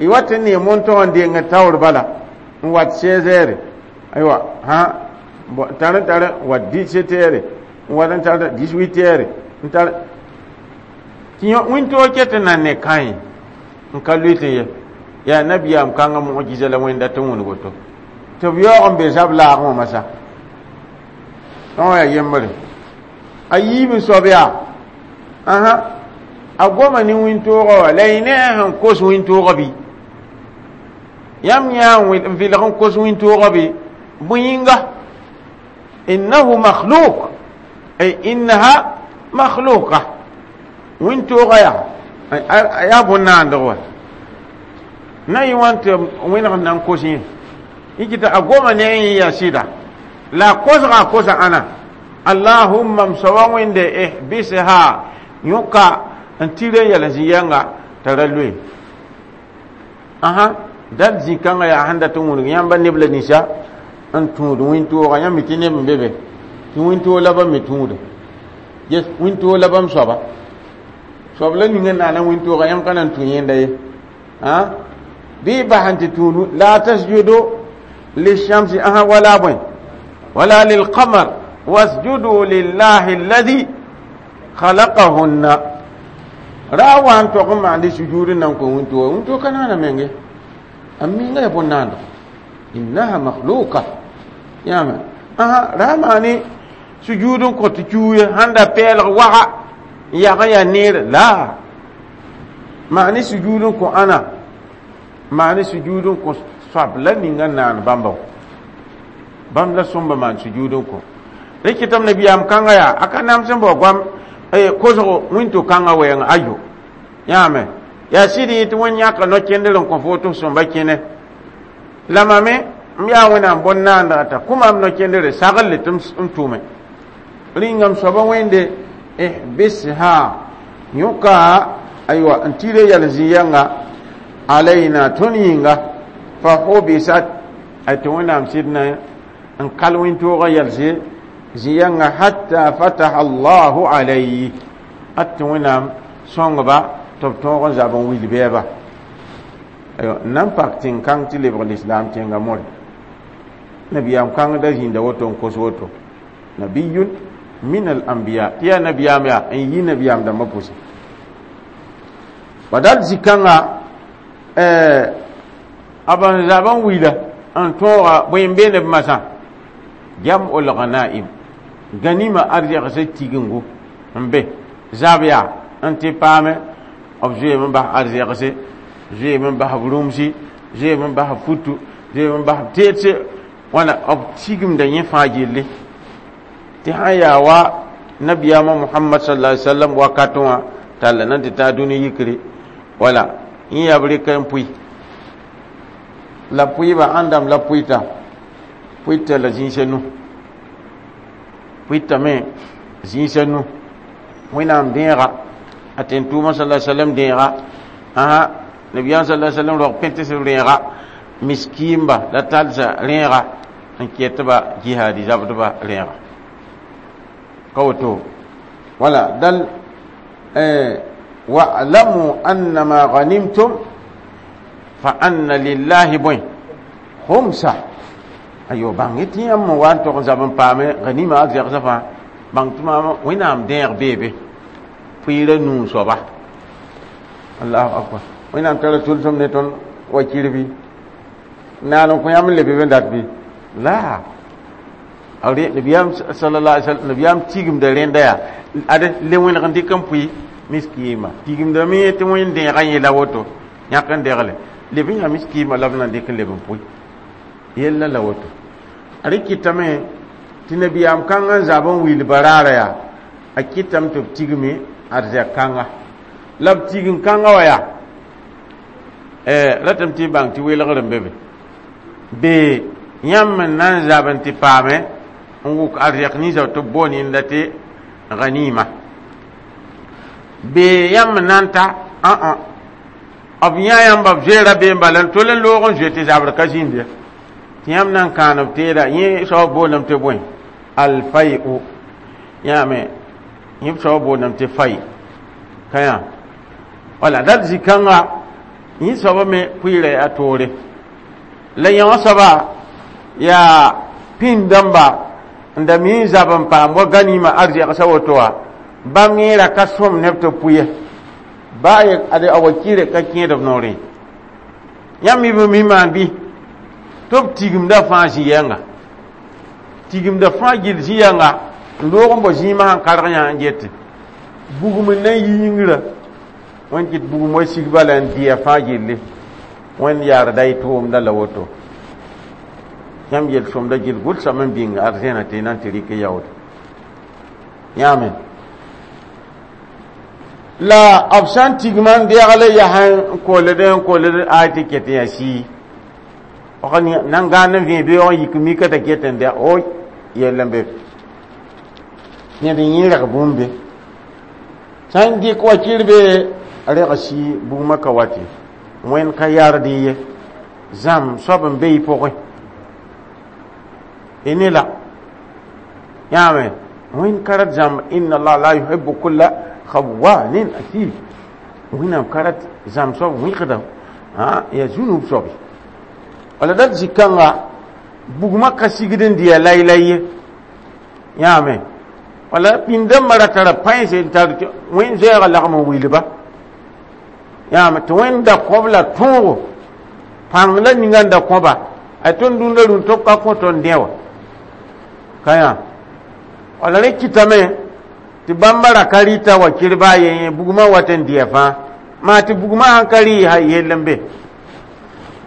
y wat n ne monta wã n deng taoor bala n wat 16 heures aywa ha tar tar wat 17 heures n wat n tar 18 heures n tar tɩ wĩntoog ket n nan ne kãe n ka lʋɩt ye yaa nabiyaam kãngã mujiza la wẽnda tɩ wũnug woto tɩ b yaoog n be zab laagẽ wã masã wã yaa yembre a yiib n soab yaa ãhã a goma ne wĩntoogã wã la y ne a sẽn kos wĩntoogã bɩ yãmb yã n vɩlg n kos wĩntoogã bɩ bõe yĩnga innahu makhluk ay innaha makhluka wĩntoogã yaa yaa bõn-naandg wa na yɩ wã tɩ wẽneg n na n kos yẽ yikita a goma ne yẽ yaa sɩda la a kosga a kosa ãna allahumma m soaba wẽnde ihbisha yõka n tɩr n yɛl zĩ-yɛnga t'a ra loe ãhã dal zĩ-kãngã yaa sẽn dat n wũnug yãmba neb la ninsã n tũud wĩntoogã yãmb mi tɩ neb n be be tɩ wĩntoog la bãmb me tũuda yes wĩntoog la bãmb soaba soab la ning n naana wĩntoogã yãmb ka na n tũ yẽnda ye bɩ bas n tɩ tũud la tasjudu lishamsi ãhã wala bõe wala lilqamar wasjudu lillahi alladhi khalaqahunna. Ra wa n tog n maandi sujud n nan kõ wĩntoogã wĩntoog ka naana menge a minga ya bõn-naando innaha makhluka yãame ãhã ra maani sujud n kõ tɩ cuuye sãn da pɛɛlg waga n yag n yaa neere la maani sujud n kõ ãna maani sujud n kõ soab la ninga n naan bãmba bãmb la sõmba maan sujud n kõ rẽ kɩtame nabiyaam kãngã yaa a ka nams n bao goam kosgo wĩnto-kãngã wɛɛng ayo yãame yaa sɩd yẽ tɩ wẽnd yãka no-kẽnder n kõ fo tɩ f sõmba kẽne la mame m yaa wẽnnaam bõn-naandga t'a kõ maam no-kẽndre saglle tɩ m tʋme rĩnga m soaba wẽnde ihbisha yõka aywa n tɩ yɛl zĩ-yɛnga alayna tõnd yĩnga fa hubisat ay tɩ wẽnnaam sɩd na n kal wĩntoogã yɛlse zĩ-yɛnga hatta fataha allahu alayhi at tɩ wẽnnaam sõngba tɩ b tõog n zab n wil bɛɛba aywa n na n pak tẽn-kãng tɩ lebg lislaam tẽnga more nabiyaam kãng da zĩnda woto n kos woto nabiyun min al anbiya tɩ yaa nabiyaam yaa n yi nabiyaam dãmbã pʋsẽ badal zĩ-kãnga a ban zab n wila n tõoga bõe n beene b masã jam'ul ghanaim ganima arzɛgsã tigingu n be zab yaa n tɩ paame b zoeeme n bas arzɛgse zoeeme n bas b rũmsi zoeeme n bas b futu zoeeme n bas b teedse wãna b tigimda yẽ fãa gilli tɩ sã yaa wa nabiyaamã muhammad sallallahu alaihi wasallam wakat wã talla nan tɩ taa dũni yikre wala yẽ yaa b rɩka n pʋɩ la pʋɩba ãndame la pʋɩta pʋɩta la zĩisa nu pʋɩtame zĩisa nu wẽnnaam dẽega a tẽn-tʋʋmã sallallahu alaihi wasallam dẽega ãhã nabiyaam sallallahu alaihi wasallam rog pẽtes b rẽega miskiimba la talsa rẽega n ket-ba jihaadi zabdba rẽega ka woto wala dal wa'lamu annama ghanimtum fa anna lillahi bõe khumsa ayo bãng tɩ yãmb n wa n tog n zab n paame ghanima a zɛgsã fãa bãng tɩ maam wẽnnaam dẽeg beebe pʋɩɩra nuu soaba allahu akbar wẽnnaam tara tʋlsem ne tõnd wa kirbi Naan n kõ yãmb n lebe b n dat bɩ la nabiyaam sallallahu alaihi wasallam nabiyaam tigimda rẽnda yaa ad le wẽneg n dɩk n pʋɩ miskiima tigimdame tɩ wẽn dẽegã yẽla woto yãk n degle leb n yaa miskiima la b na dɩk n leb n pʋɩ yella la woto. A rɩ kɩtame tɩ nabiyaam kãngã n zab n wil baraara yaa a kɩtame tɩ b tigme arzɛk kãnga la b tigim kãngã wa yaa ratame tɩ y bãng tɩ welgr n be be bee yãmb n na n zab n tɩ paame n wʋk arzɛk ninsã tɩ b boon yẽnda tɩ ganima bee yãmb n na n ta ã b yã yãmba b zoeera bee n bala n tol n loog n zoe tɩ zabr ka zĩnd ye tɩ yãmb na n kãan b teeda yẽ soab boondame tɩ bõe alfai'u yãame yẽ soab boondame tɩ fai ka yã wala dat zĩ-kãnga yẽ soaba me pʋɩɩra yaa toore la yã wã soaba yaa pĩnd-dãmba n da mi n zab n paam wa ganima arzɛgsã woto wã bãmb yẽera ka sõm neb tɩ pʋ ye baa ad a wakɩɩrɛ ka kẽed b noorẽ yãmb mi b mi maan bɩ tɩ b tigimda fãa zĩ-yɛnga tigimda fãa gill zĩ-yɛnga n loog n bao zĩimã sẽn karg yã n gete bugum n na n yi yĩngrã wẽnd kɩt bugum wa sig bala n dɩa fãa gilli wẽnd yaarda y tʋʋmda la woto yãmb yel-sõmda gill gʋlsame n bĩng arzẽna tɩ y na n tɩ rɩk yaood yãame la b sã n tigma n degle yaa n koled n koled ay tɩ ket n yaa sii nan gãand n vẽ beoog n yik mika t'a ket n dɛ o yell n be ned n yẽ reg bũmb be sã n dɩk wakɩr be reg sii bugmã ka wate wẽnd ka yard ye zãm soab n be y pʋgẽ y ne la yãame wẽnd ka rat zãmb inna allah la yuhibbu kulla khawanin athim wẽnnaam ka rat zãm soab wẽgda yaa zũnub soabe wala dat zĩ-kãnga bugmã ka sigd n dɩya laylay ye yãame wala pĩnd-dãmbã ra tara pãense n tar wẽnd zoɛɛgã lagm n wilba yãame tɩ wẽnd da kõb la tõogo pãng la ninga n da kõba a tõnd dũnda rũn tɩ b ka kõ tõnd dẽ wã ka yã wala rẽ kɩtame tɩ bãmba ra ka rɩta wa kɩrba a ye bugmã wat n dɩya fãa maa tɩ bugmã sãn ka rɩ ha yell n be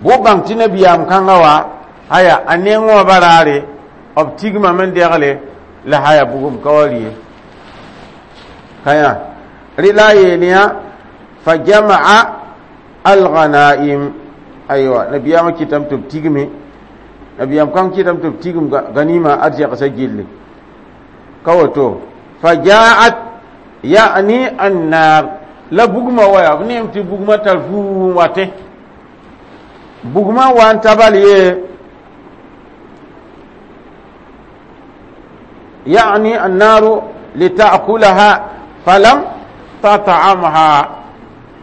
bo bãng tɩ nabiyaam kãngã wa aya a neng wã baraare b tigmame n degle la haya bugum ka wa rɩ ye ka yã rɩ la a yeel yã fa jama'a alghanaim aywa nabiyaamã kɩtame tɩ b tigme nabiyaam kãng kɩtame tɩ b tigm ganima arzɛgsã gilli ka woto fa ja'at ya'ni annar la bugma wa yaa b neem tɩ bugmã tar fuu n watẽ bugmã wa n tabal ye ya'ni annaru lita'kulaha falam tat'amha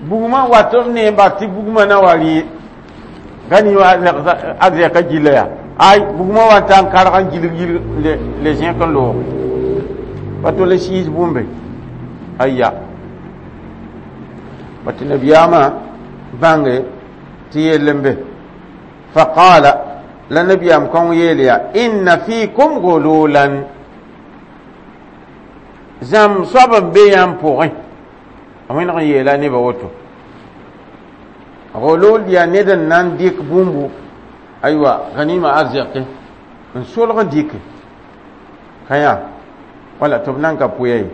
bugmã wat b neem bas tɩ bugmã na wa rɩ gani wa arzɛka gilla yaa ay bugmã wa n ta n karg n gilg gilg le zẽk n loog pa tole siis bũmbe aya pa tɩ nabiyaamã bãnge tɩ yell n be faqala la nabiyaam kõng yeel yaa inna fikum gululan zãmb soab n be yãmb pʋgẽ a wẽneg n yeela nebã woto gulul yaa ned n na n dɩk bũmbu aywa ganima arzɛke n solg n dɩke ka yã wala tɩ b nan ka pʋya ye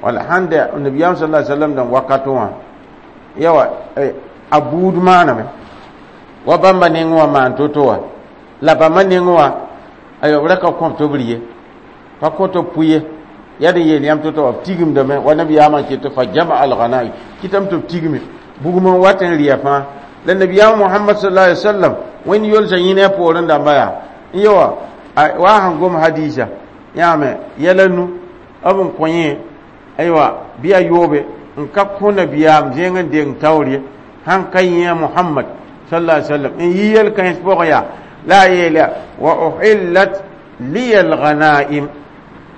wala sãn dɛ nabiyaam sala sallam dãmb wakatẽ wã yawa a buud maaname wa bãmba neng wã maan to-to wã la bãmba neng wã aywa b ra ka kõb tɩ b rɩ ye pa kõ tɩ b pʋ ye yaa d yeel yãmb to-to wã b tigimdame wa nabiyaamã ket fa jama alghanai kɩtame tɩ b tigme bugum n wat n rɩya fãa la nabiyaam mohamad sallallahu alaihi wasallam wẽnd yolsã yĩna poorẽ dãmba yaa n yewa wa sẽn gom hadisa yãame yɛla nu b n kõ yẽ aywa bɩ a yoobe n ka kõ nabiyaam zẽng n deng taoor ye sãn ka yẽ muhammad sallallahu alaihi wasallam n yi yel-kãens pʋgẽ yaa la a yeela wa uhillat liya alghanaim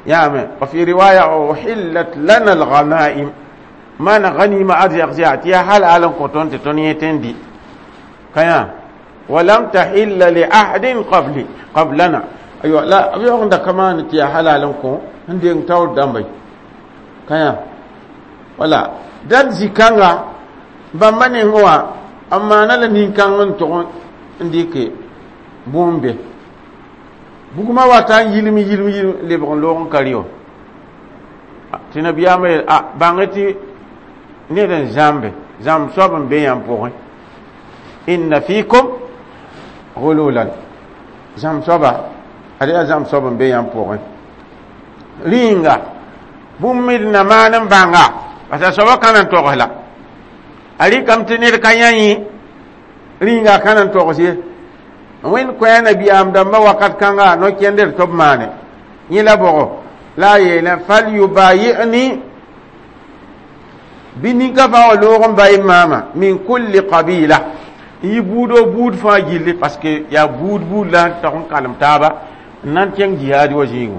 yaame wa fi riwaya uhillat lana alghanaim maana ganima arzɛg yaa tɩ yaa hal al n kõ tõnd tɩ tõnd yẽ tẽn dɩ ka yã ولم تحل لأحد قبلي قبلنا. أيوة لا أبي أقول كمان تيا حلالكم عندي تاور دمبي كيا ولا دad zikãnga bãmba neng wã n maana la nin-kãng n tʋg n dɩke bũmb be bugmã wata n yilm yilm yilm lebg n loog n ka rɩ tɩ nabiyaamã yeel a bãng tɩ ned n zãmbe zãmb soab n be yãmb pʋgẽ inna fikum gululan zãmb soaba ad yaa zãmb soab n be yãmb pʋgẽ rĩnga bũmb mid na maan n bãnga parce que soaba ka na n togs la a rɩkame tɩ ned ka yã yẽ rĩnga ka na n togs ye wẽnd koɛa nabiyaam dãmbã wakat kãnga no-kẽnder tɩ b maane yẽ la bʋgo la a yeelẽ falyubayi'ni bɩ ninka fãa wa loog n ba maama min kulli qabila n yɩ buudo buud fãa gilli parce que yaa buud buud la n tog n kalem taaba n na n kẽng jihaad wa zĩigu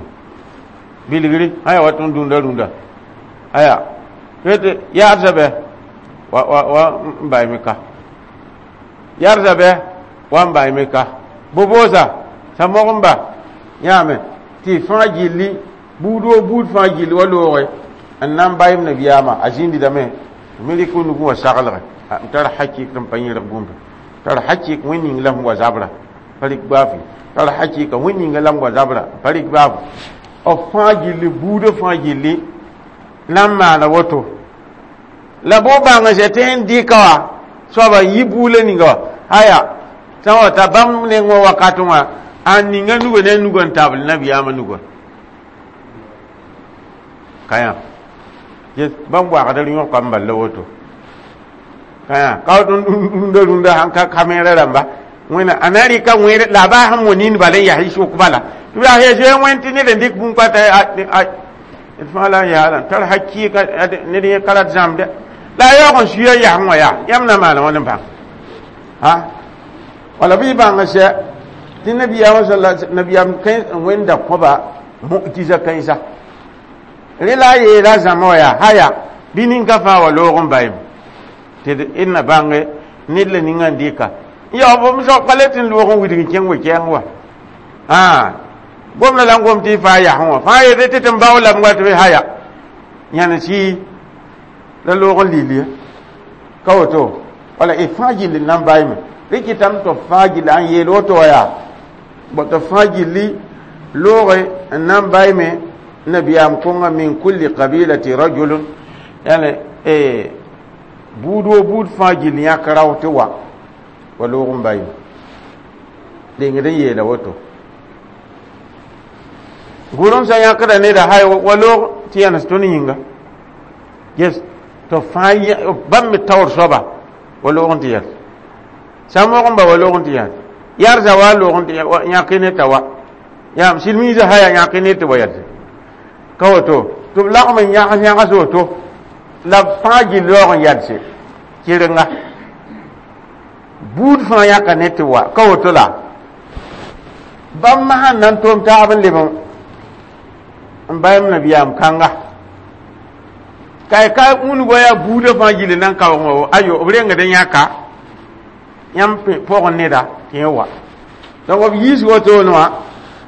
bilgri aya wa tõnd dũnda rũndã aya tɩ yaadsa bɛ wa wa wa n bayme ka yarsa bɛ wa n bayme ka boboosa sa-mogmba yãame tɩ fãa gilli buud woo buud fãa gilli wa looge n na n bayem nabiyaamã a zĩndidame me rɩk nugẽ wa saglge n tar hakɩk n pa yẽrg bũmb tar hakɩk wẽn ning la sẽn wa zabra pa rɩk baafɩ tar hakɩka wẽn ninga la n wa zabra pa rɩk baafo b fãa gilli buudã fãa gilli na n maana woto la bo bãng sɛ tɩ n dɩka wã soaba n yi buulã ninga wã aya sã wa ta bãmb neng wã wakat wã a ninga nugã ne a nugã n tabl nabiyaamã nugã ka yã yes bãmb waagdr yõka n bal la woto ka yã ka woto rũndã rũndã sãn ka kamẽerã rãmba wẽna a na rɩka wẽed la a baa sẽn mo nin bala n yaa sʋk bala tɩ yaa zoe wẽnd tɩ ned n dɩk bũmb kata d fãa la n yaala tar hakɩɩka ned yẽ ka rat zãmde la a yaoog n suya yasẽ wã yaa yãmb na maana wãn n bãng ha wala bɩ y bãng sɛ tɩ nabiyaamã sala nabiyaam wẽnda kõba mu'jiza kãensa rẽ la a yeela zãma wã yaa haya bɩ ninka fãa wa loog n bayem tɩ d na bãnge ned la ninga n dɩka ya b soab ka le tɩ n loog n widg n kẽng we-kɛɛng wa gomda la n gom tɩ y faa yasẽ wã fãa yetɩ tɩ tɩ n bao lame wa tɩ b haya yãn sɩ la loog n lil ye ka woto wala y fãa gilli n na n baime rɩ kɩtame tɩ b fãa gilli n yeel woto wa yaa bõ tɩ b fãa gilli looge n na n baime nabiyaam kõnga min kulli qabilati rajulun yani buud wo buud fãa gill yãk rao tɩ wa wa loog n bayim dengd n yeela woto gʋrem sã yãkda neda hay wa loog tɩ yãnes tõnd yĩnga yes tɩ fãa bãmb me taoor soaba wa loog n tɩ yɛl sa-mogẽmba wa loog n tɩ yãs yarsa wa loog n tɩ yãk ne t'a wa yam silmiisã haya yãk ne tɩ wa yɛlse ka woto tɩ b lagm n yãgs yãgs woto la b fãa gill yaoog n yɛlse kɩrenga buud fãa yãka ne tɩ wa ka woto la bãmb masã n na n tʋm taab n leb n bayem nabiyaam kãnga ka ka wũnugã yaa buudã fãa gilli na n kaoog wã ayo b rengd n yãka yãmb pʋgẽ neda tɩ yẽ wa donc b yiis wotone wã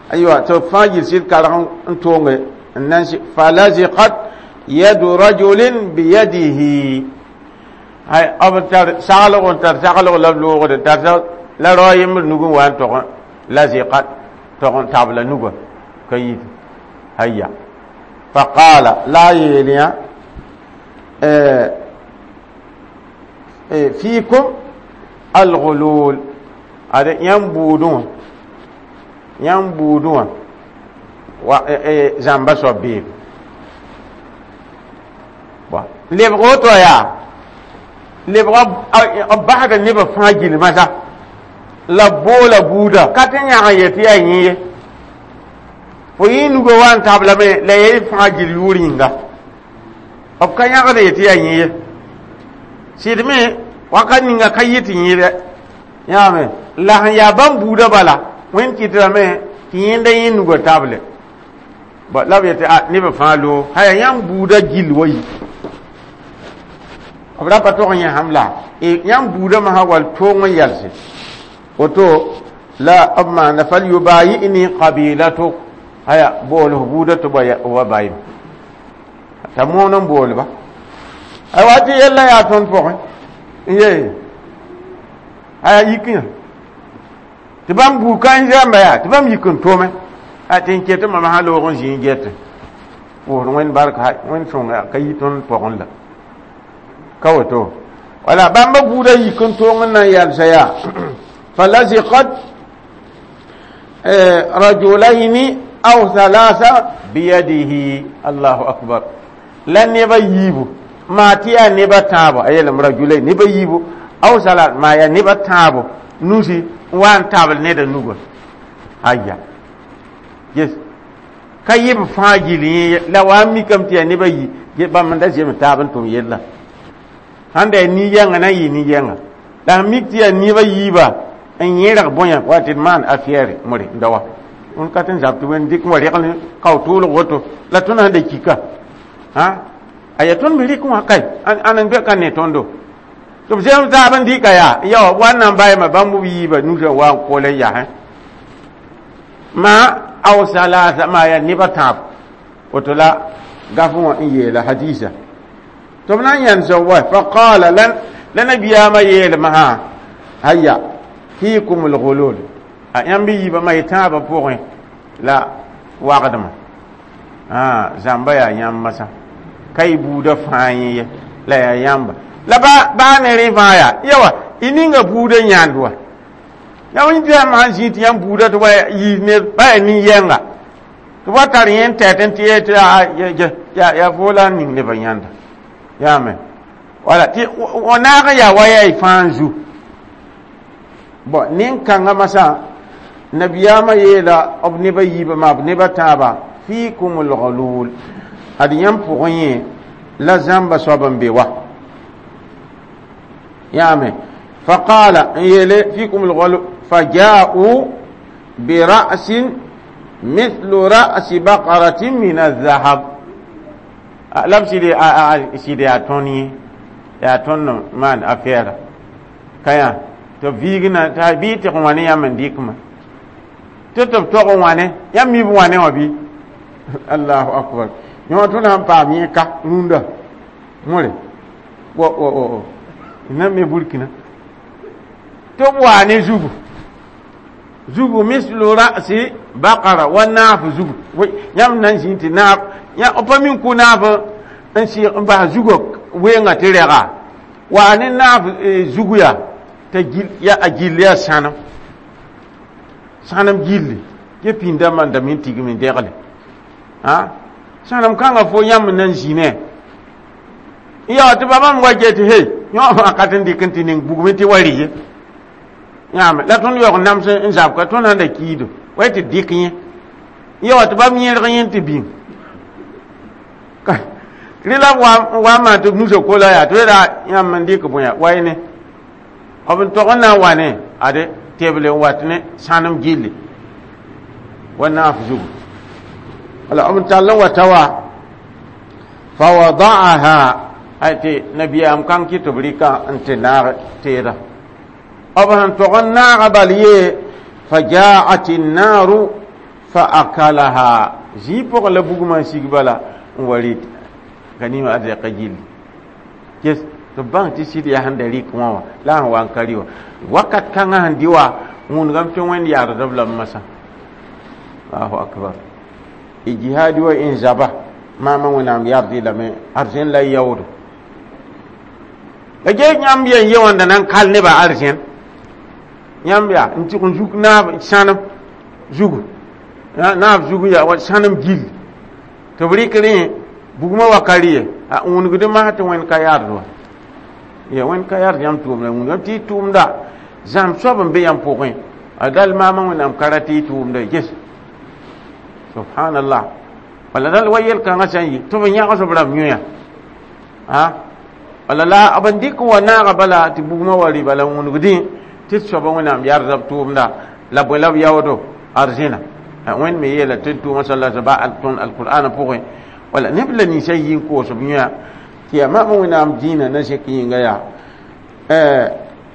aywa tɩ b fãa gill sɩd karg n toonge n nan falaziqat yadu rajulin biyadihi ay b tar saglg n tar saglg la b loogd tar la rao yembr nugẽ wa n tog laziqat tog n tabla nugã ka yit haya faqala la yeel yã fiikum alghulul ad yãmb buudẽ wã yãmb buudẽ wã wa zãmba soab beebe lebg woto yaa lebg b basda nebã fãa gilmã sa la b boola buuda ka tɩ yãg n yetɩ yaa yẽ ye fo yẽ nugã wa n tablame la ya y fãa gil yʋʋr yĩnga b ka yãgd yetɩ yaa yẽ ye sɩd me wakat ninga ka yɩ tɩ yẽdɛ yãame la sẽn yaa bãmb buudã bala wẽnd kɩtdame tɩ yẽnda yẽ nugã table la b yetɩ a nebã fãa loog haya yãmb buudã gill wa yi b ra pa tog n yẽsam la yãmb buudã masã wall toong n yɛlse Woto la b maana falyubayi'ni qabilatuk aya bool f buuda tɩ wa bayim t'a moon n boolba aywa tɩ yella yaa tõnd pʋgẽ n ye aya yik yã tɩ bãmb buud ka n zãmba yaa tɩ bãmb yik n tome a tɩ n ket mam sã loog n zĩ n get pʋʋsd wẽnd barka wẽnd sõnga ka yi tõnd pʋgẽ la ka woto wala bãmba buudã yik n tong n na n yalsa yaa falaziqat rajulaini aw thalatha biyadihi. Allahu akbar. La neba yiibu maa tɩ yaa neba tãabo a yeelame rajulain neba yiibu aw salat maa yaa neba tãabo nusi n wa n tabl neda nuga aya yes ka yɩb fãa gill yẽ la wa n mikame tɩ yaa neba yi bãmb n da zem taab n tʋm yella sãn da yaa nin-yɛngã na n yɩ nin-yɛnga la sẽn mik tɩ yaa neba yiiba n yẽrg bõe wa tɩ d maan affaire more n da wa tõnd ka tɩ n zab tɩ wẽnd dɩk n wa regl kao tʋʋlg woto la tõnd sẽn da kika ha aya tõnd me rɩk wã kai ãn n ka ne tõndo tɩ b zem taab n dɩka yaa ya wa n na n bayma bãmb b yiiba nusã wa n kol n yasẽ ma aw salasa ma yaa neba tãab woto la gaf wã n yeela hadisa tɩ b na n yãnsa wa faqala la nabiyaamã yeelmã sã aya fiikum lgulul a yãmb yiibã ma y tãabã pʋgẽ la wagdmã zãmba yaa yãmb masã ka y buudã fãa yẽ ye la yaa yãmba la baa ne rẽ fãa yaa yawa y ninga buudã yãnd wa yãmb tɩ yãmb sãn zĩ tɩ yãmb buudã tɩ wa yiis ned ba yaa nin-yɛnga tɩ wa tar yẽ n tɛt n tɩ ye tɩ yaa fo la n ning nebã yãnda yaame wala tɩ wa naag n yaa wa yaa y fãa n zu bon nin-kãngã masã nabiyaamã yeela b neba yiibã maa b neba tãaba fiikum lgulul ad yãmb pʋgẽ yẽ la zãmba soab n be wa yaame faqala n yeele fiikum lgulul faja'u bira'sin mithlu ra'si baqaratin min الذهب la b sɩd yaa tõnd yẽ yaa tõnd maan affaire ka yã tɩ b viigna t'a bɩ tɩg wãne yãmb n dɩkma tɩ tɩ b tog n wãne yãmb mi b wãne wã bɩ allahu akbar yõ tõnd sãn paam yẽ ka rũndã more wo wo wo na me burkina tɩ b waa ne zugu zugu mislu ra'si baqara wa naaf zugu yãmb na n zĩ tɩ naaf b pa min kʋ naaf n sɩg n bas zugã weenga tɩ rɛga waa ne naaf zugu yaa t'a ya a gill yaa sãnem sãnem gilli ye pĩndã man da min tigm n degle a sãnem kãngã fo yãmb na n zĩ ne ya tɩ ba bãmb wa get he yõ fãa ka tɩ n dɩk n tɩ ning bugme tɩ wa rɩ ye yãame la tõnd yaoog nams n zab ka tõnd sãn da kiido wa tɩ dɩk yẽ ya tɩ bãmb yẽrg yẽ tɩ bĩng rẽ la b wa n maan tɩ b nusa kola yaa tɩ ra yãmb n dɩk bõe wa ne b n tog n na n wa ne ade teble n wat ne sãnem gilli wa naaf zugu wala b n tall n wa ta wa fawada'aha ay tɩ nabiyaam kãng kɩ tɩ b rɩka n tɩ naag teeda b sẽn tog n naaga bal ye fajaat النار faakalaha zĩig pʋgẽ la bugmã n sig bala n wa rɩt ka nima a zɛka gilli ges tɩ b bãng tɩ sɩd yaa sẽn da rɩk wã wã la sẽn wa n ka rɩ wã wakat kãngã sẽn dɩ wa wũnigame tɩ wẽnd yaardb lame masã allahu akbar y jihaadi wa n zaba maamã wẽnnaam yard lame arzẽn la y yaoodo la gee yãmb yen ye wãnda na n kal nebã arzẽn yãmb yaa n tɩg n zuk naab sãnem zugu naab zugu yaa wa sãnem gilli tɩ b rɩk rẽ bugmã wa ka rɩ ye a wũnigd masã tɩ wẽnd ka yard wa ya wẽnd ka yard yãmb tʋʋmda wũnigame tɩ y tʋʋmda zãm soab n be yãmb pʋgẽ a dal maamã wẽnnaam ka ra tɩ y tʋʋmda ges subhanallah wala dal wa yel-kãngã sã n yi tɩ b yãgs b rãmb yõya a wala la b n dɩk n wa naaga bala tɩ bugmã wa rɩ bala wũnigdẽ tɩ d soaba wẽnnaam yardb tʋʋmda la bõe la b yaoodo arzẽna wẽnd me yeela tɩ d tʋʋmã sala ba tõnd alqur'ana pʋgẽ wala neb la ninsã yi n koos b yõya tɩ yaa maam wẽnnaam dĩinã na zẽk yĩnga yaa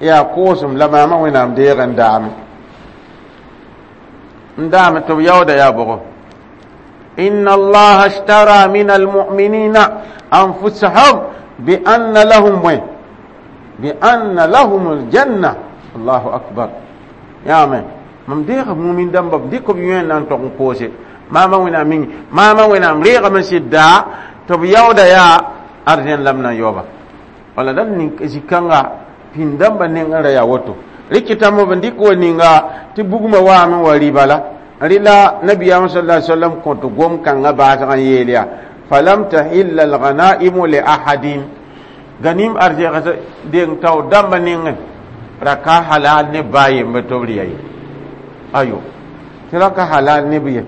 Yaa koosem la maamã Wẽnnaam deeg n daame n daame tɩ b yaooda yaa bʋgo. Inna allaha ishtara min almu'minina anfusahum bi anna lahum bõe bi anna lahum aljanna. Allahu akbar. Yaame mam deega mumin dãmba b dɩk b yõ n na n tog n koose maamã Wẽnnaam mingi maamã Wẽnnaam reegame sɩd tɩ b yaooda yaa arzẽn la b na n yaooba. Wala dal nin zĩ-kãnga pĩnd dãmbã nengẽ ra yaa woto rɩkɩtame b n dɩk wa ninga tɩ bugmã waame wa rɩba la rɩla nabiyaam sal a sallam kõt gom kãngã baasg n yeel yaa falam tahilla alghanaimu li ahadin ganim arzɛgs deng tao dãmbã nengẽ ra ka halal ne baa yembre tɩ b rɩ ye ayo tɩ ra ka halal ne b ye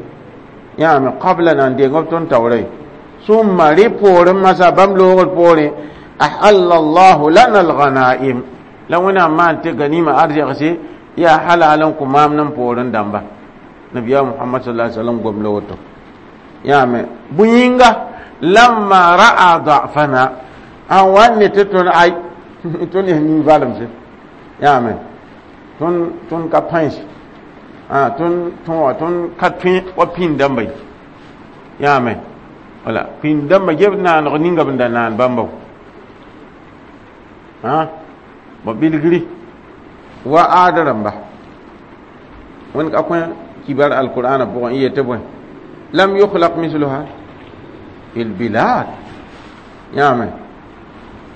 yãame qabla nan deng b tõnd taoora ye summa rɩ poorẽ masã bãmb loogr poorẽ ahalla allahu lana alghanaim la Wẽnnaam maan tɩ ganima arzɛgse yaa halal n kõ maam n poorẽ dãmba. Nabiya Muhammad sallallahu alaihi wasallam gom la woto yãame bũ-yĩnga lamma ra'a da'fana an wan ne tɩ tõnd ay tõnd yaa nin-valemse yãame tõnd ka pãens tõnd tõa tõnd ka tõe wa pĩnd dãmba ye yãame wala pĩnd dãmba geb naaneg ninga b n da naan bãmba ba bilgri wa aada rãmba wẽnd ka kõ kibar alqur'ana pʋgẽ n yetɩ bõe lam yukhlaq misluha fil bilad yãame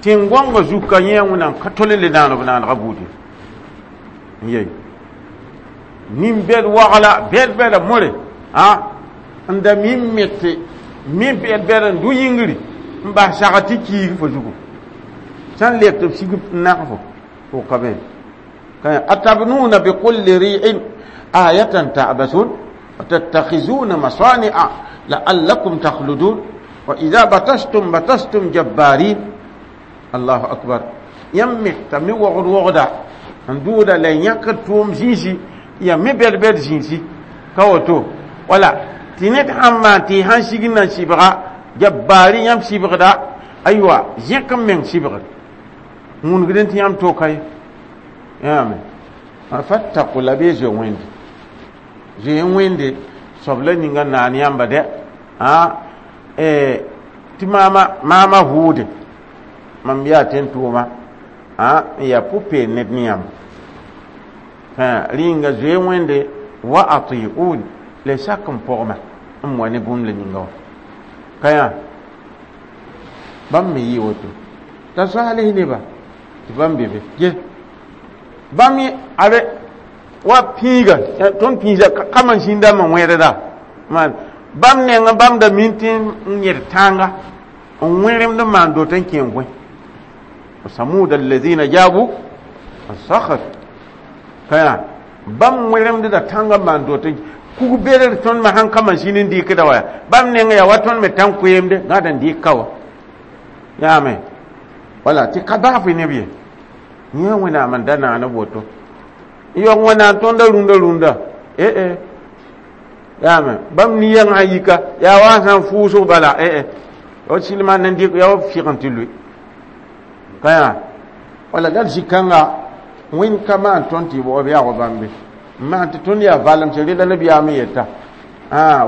tẽn-gõngã zuka yẽ Wẽnnaam ka tol n le naaneg naanegã buud ye n yey nin-bɛd wagla bɛd-bɛda more a n da mi n mete mi bɛd-bɛd n dʋ yĩngri n bas sag tɩ kiig fo zugu sã n leb tɩ b sig n nag fo fo ka be atabnuna bikulli ri'in ayatan ta'basun wa tattakhizuna masani'a la'allakum takhludun wa idha batashtum batashtum jabbarin. Allahu akbar. Yãmb meta me wogd wogda n dʋʋda la yãkd tʋʋm zĩisi ya me bɛd-bɛd zĩisi ka woto wala tɩ ned sãn maan tɩ y sãn sig n na sɩbga jabbaari yãmb sɩbgda aywa zẽk n meng sɩbgd wũnegdẽ tɩ yãmb toka ye yãame fattaku la bɩ zoe wẽnde zoe wẽnde soab la ninga naan yãmba dɛ a tɩ maama maama vʋʋde mam yaa tẽn-tʋʋma a n yaa pʋ-peel ned ne yãmb rĩnga zoe wẽnde wa atiun la sak n pɔgma n wa ne bũmb la ninga wã ka yã bãmb me yɩ woto t'a soaals neba tɩ bãmb be be ge bãmb abe wa pĩiga tõnd pĩisa ka masĩn dãmbã wẽrda maan bãmb nengã bãmb da min tɩ n yẽd tãnga n wẽremd n maan dot n kẽ goẽ وثمود الذين جابوا الصخر ka yã bãmb wẽremdda tãngã maan dot kug bedr tõnd me sãn ka masĩn n dɩkda wa bãmb neng yaa wa tõnd me tãn koeemde gãd n dɩk ka wa yãame wala tɩ ka baaf neb ye yẽ Wẽnnaam n da naan woto n yaoog Wẽnnaam tõnda rũndã rũndã ee yaame bãmb ni-yɛng sã yika yaa wa sã n fʋʋsg bala ee wa silma n dɩk yaa wa fɩg n tɩ lʋɩ ka yã wala dal zĩ-kãnga wẽnd ka maan tõnd tɩ b yaag bãmbe n maan tɩ tõnd yaa valemse rela nabiyaam n yeta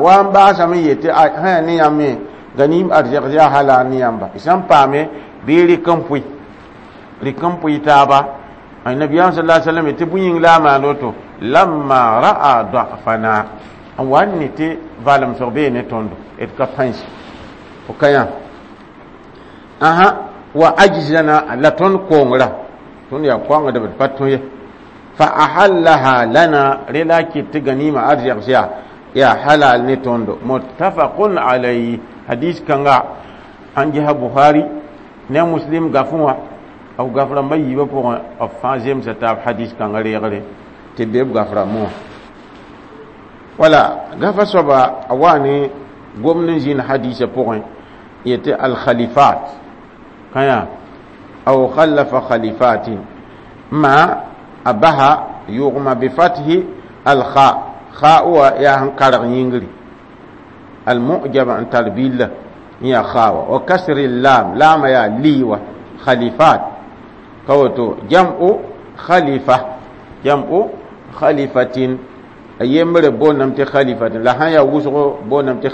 wa n baasame n yetɩ sã yaa ne yãmb me ganim arzɛgs yaa halal ne yãmba y sãn paame bɩ rɩk n pʋɩ rɩk n pʋɩ taaba nabiyaam sal a sallam tɩ bũ-yĩng la a maan woto lamma ra'a da'fana n wa n ne tɩ valemsg bee ne tõndo d ka pãens fo ka yã asa wa ajzana la tõnd kongra tõnd yaa koangdb d pa tõe ye fa ahallaha lana rela kɩt tɩ ganima arzɛgs yaa yaa halal ne tõndo. Muttafaqun alayhi hadis kãnga sãn gesa Bukhari ne Muslim gafẽ wã b gaf rãmbã yiibã pʋgẽ b fãa zemsa taab hadis kãngã reegre tɩ be b gaf rãmbẽ wã wala gafa soaba a wa ne gomd n zĩnd hadisã pʋgẽ yetɩ alkhalifat kãyã aw khallafa khalifatin ma a basa yʋgma bifathi alkha kha wa yaa sẽn karg yĩngri almujama n tar billa n yaa kha wa wa kasri lam laama yaa liiwa khalifat ka woto jam'u Khalifa, jam'u khalifatin. A yembre boondame tɩ khalifatin, la sã n yaa wʋsgo boondame tɩ.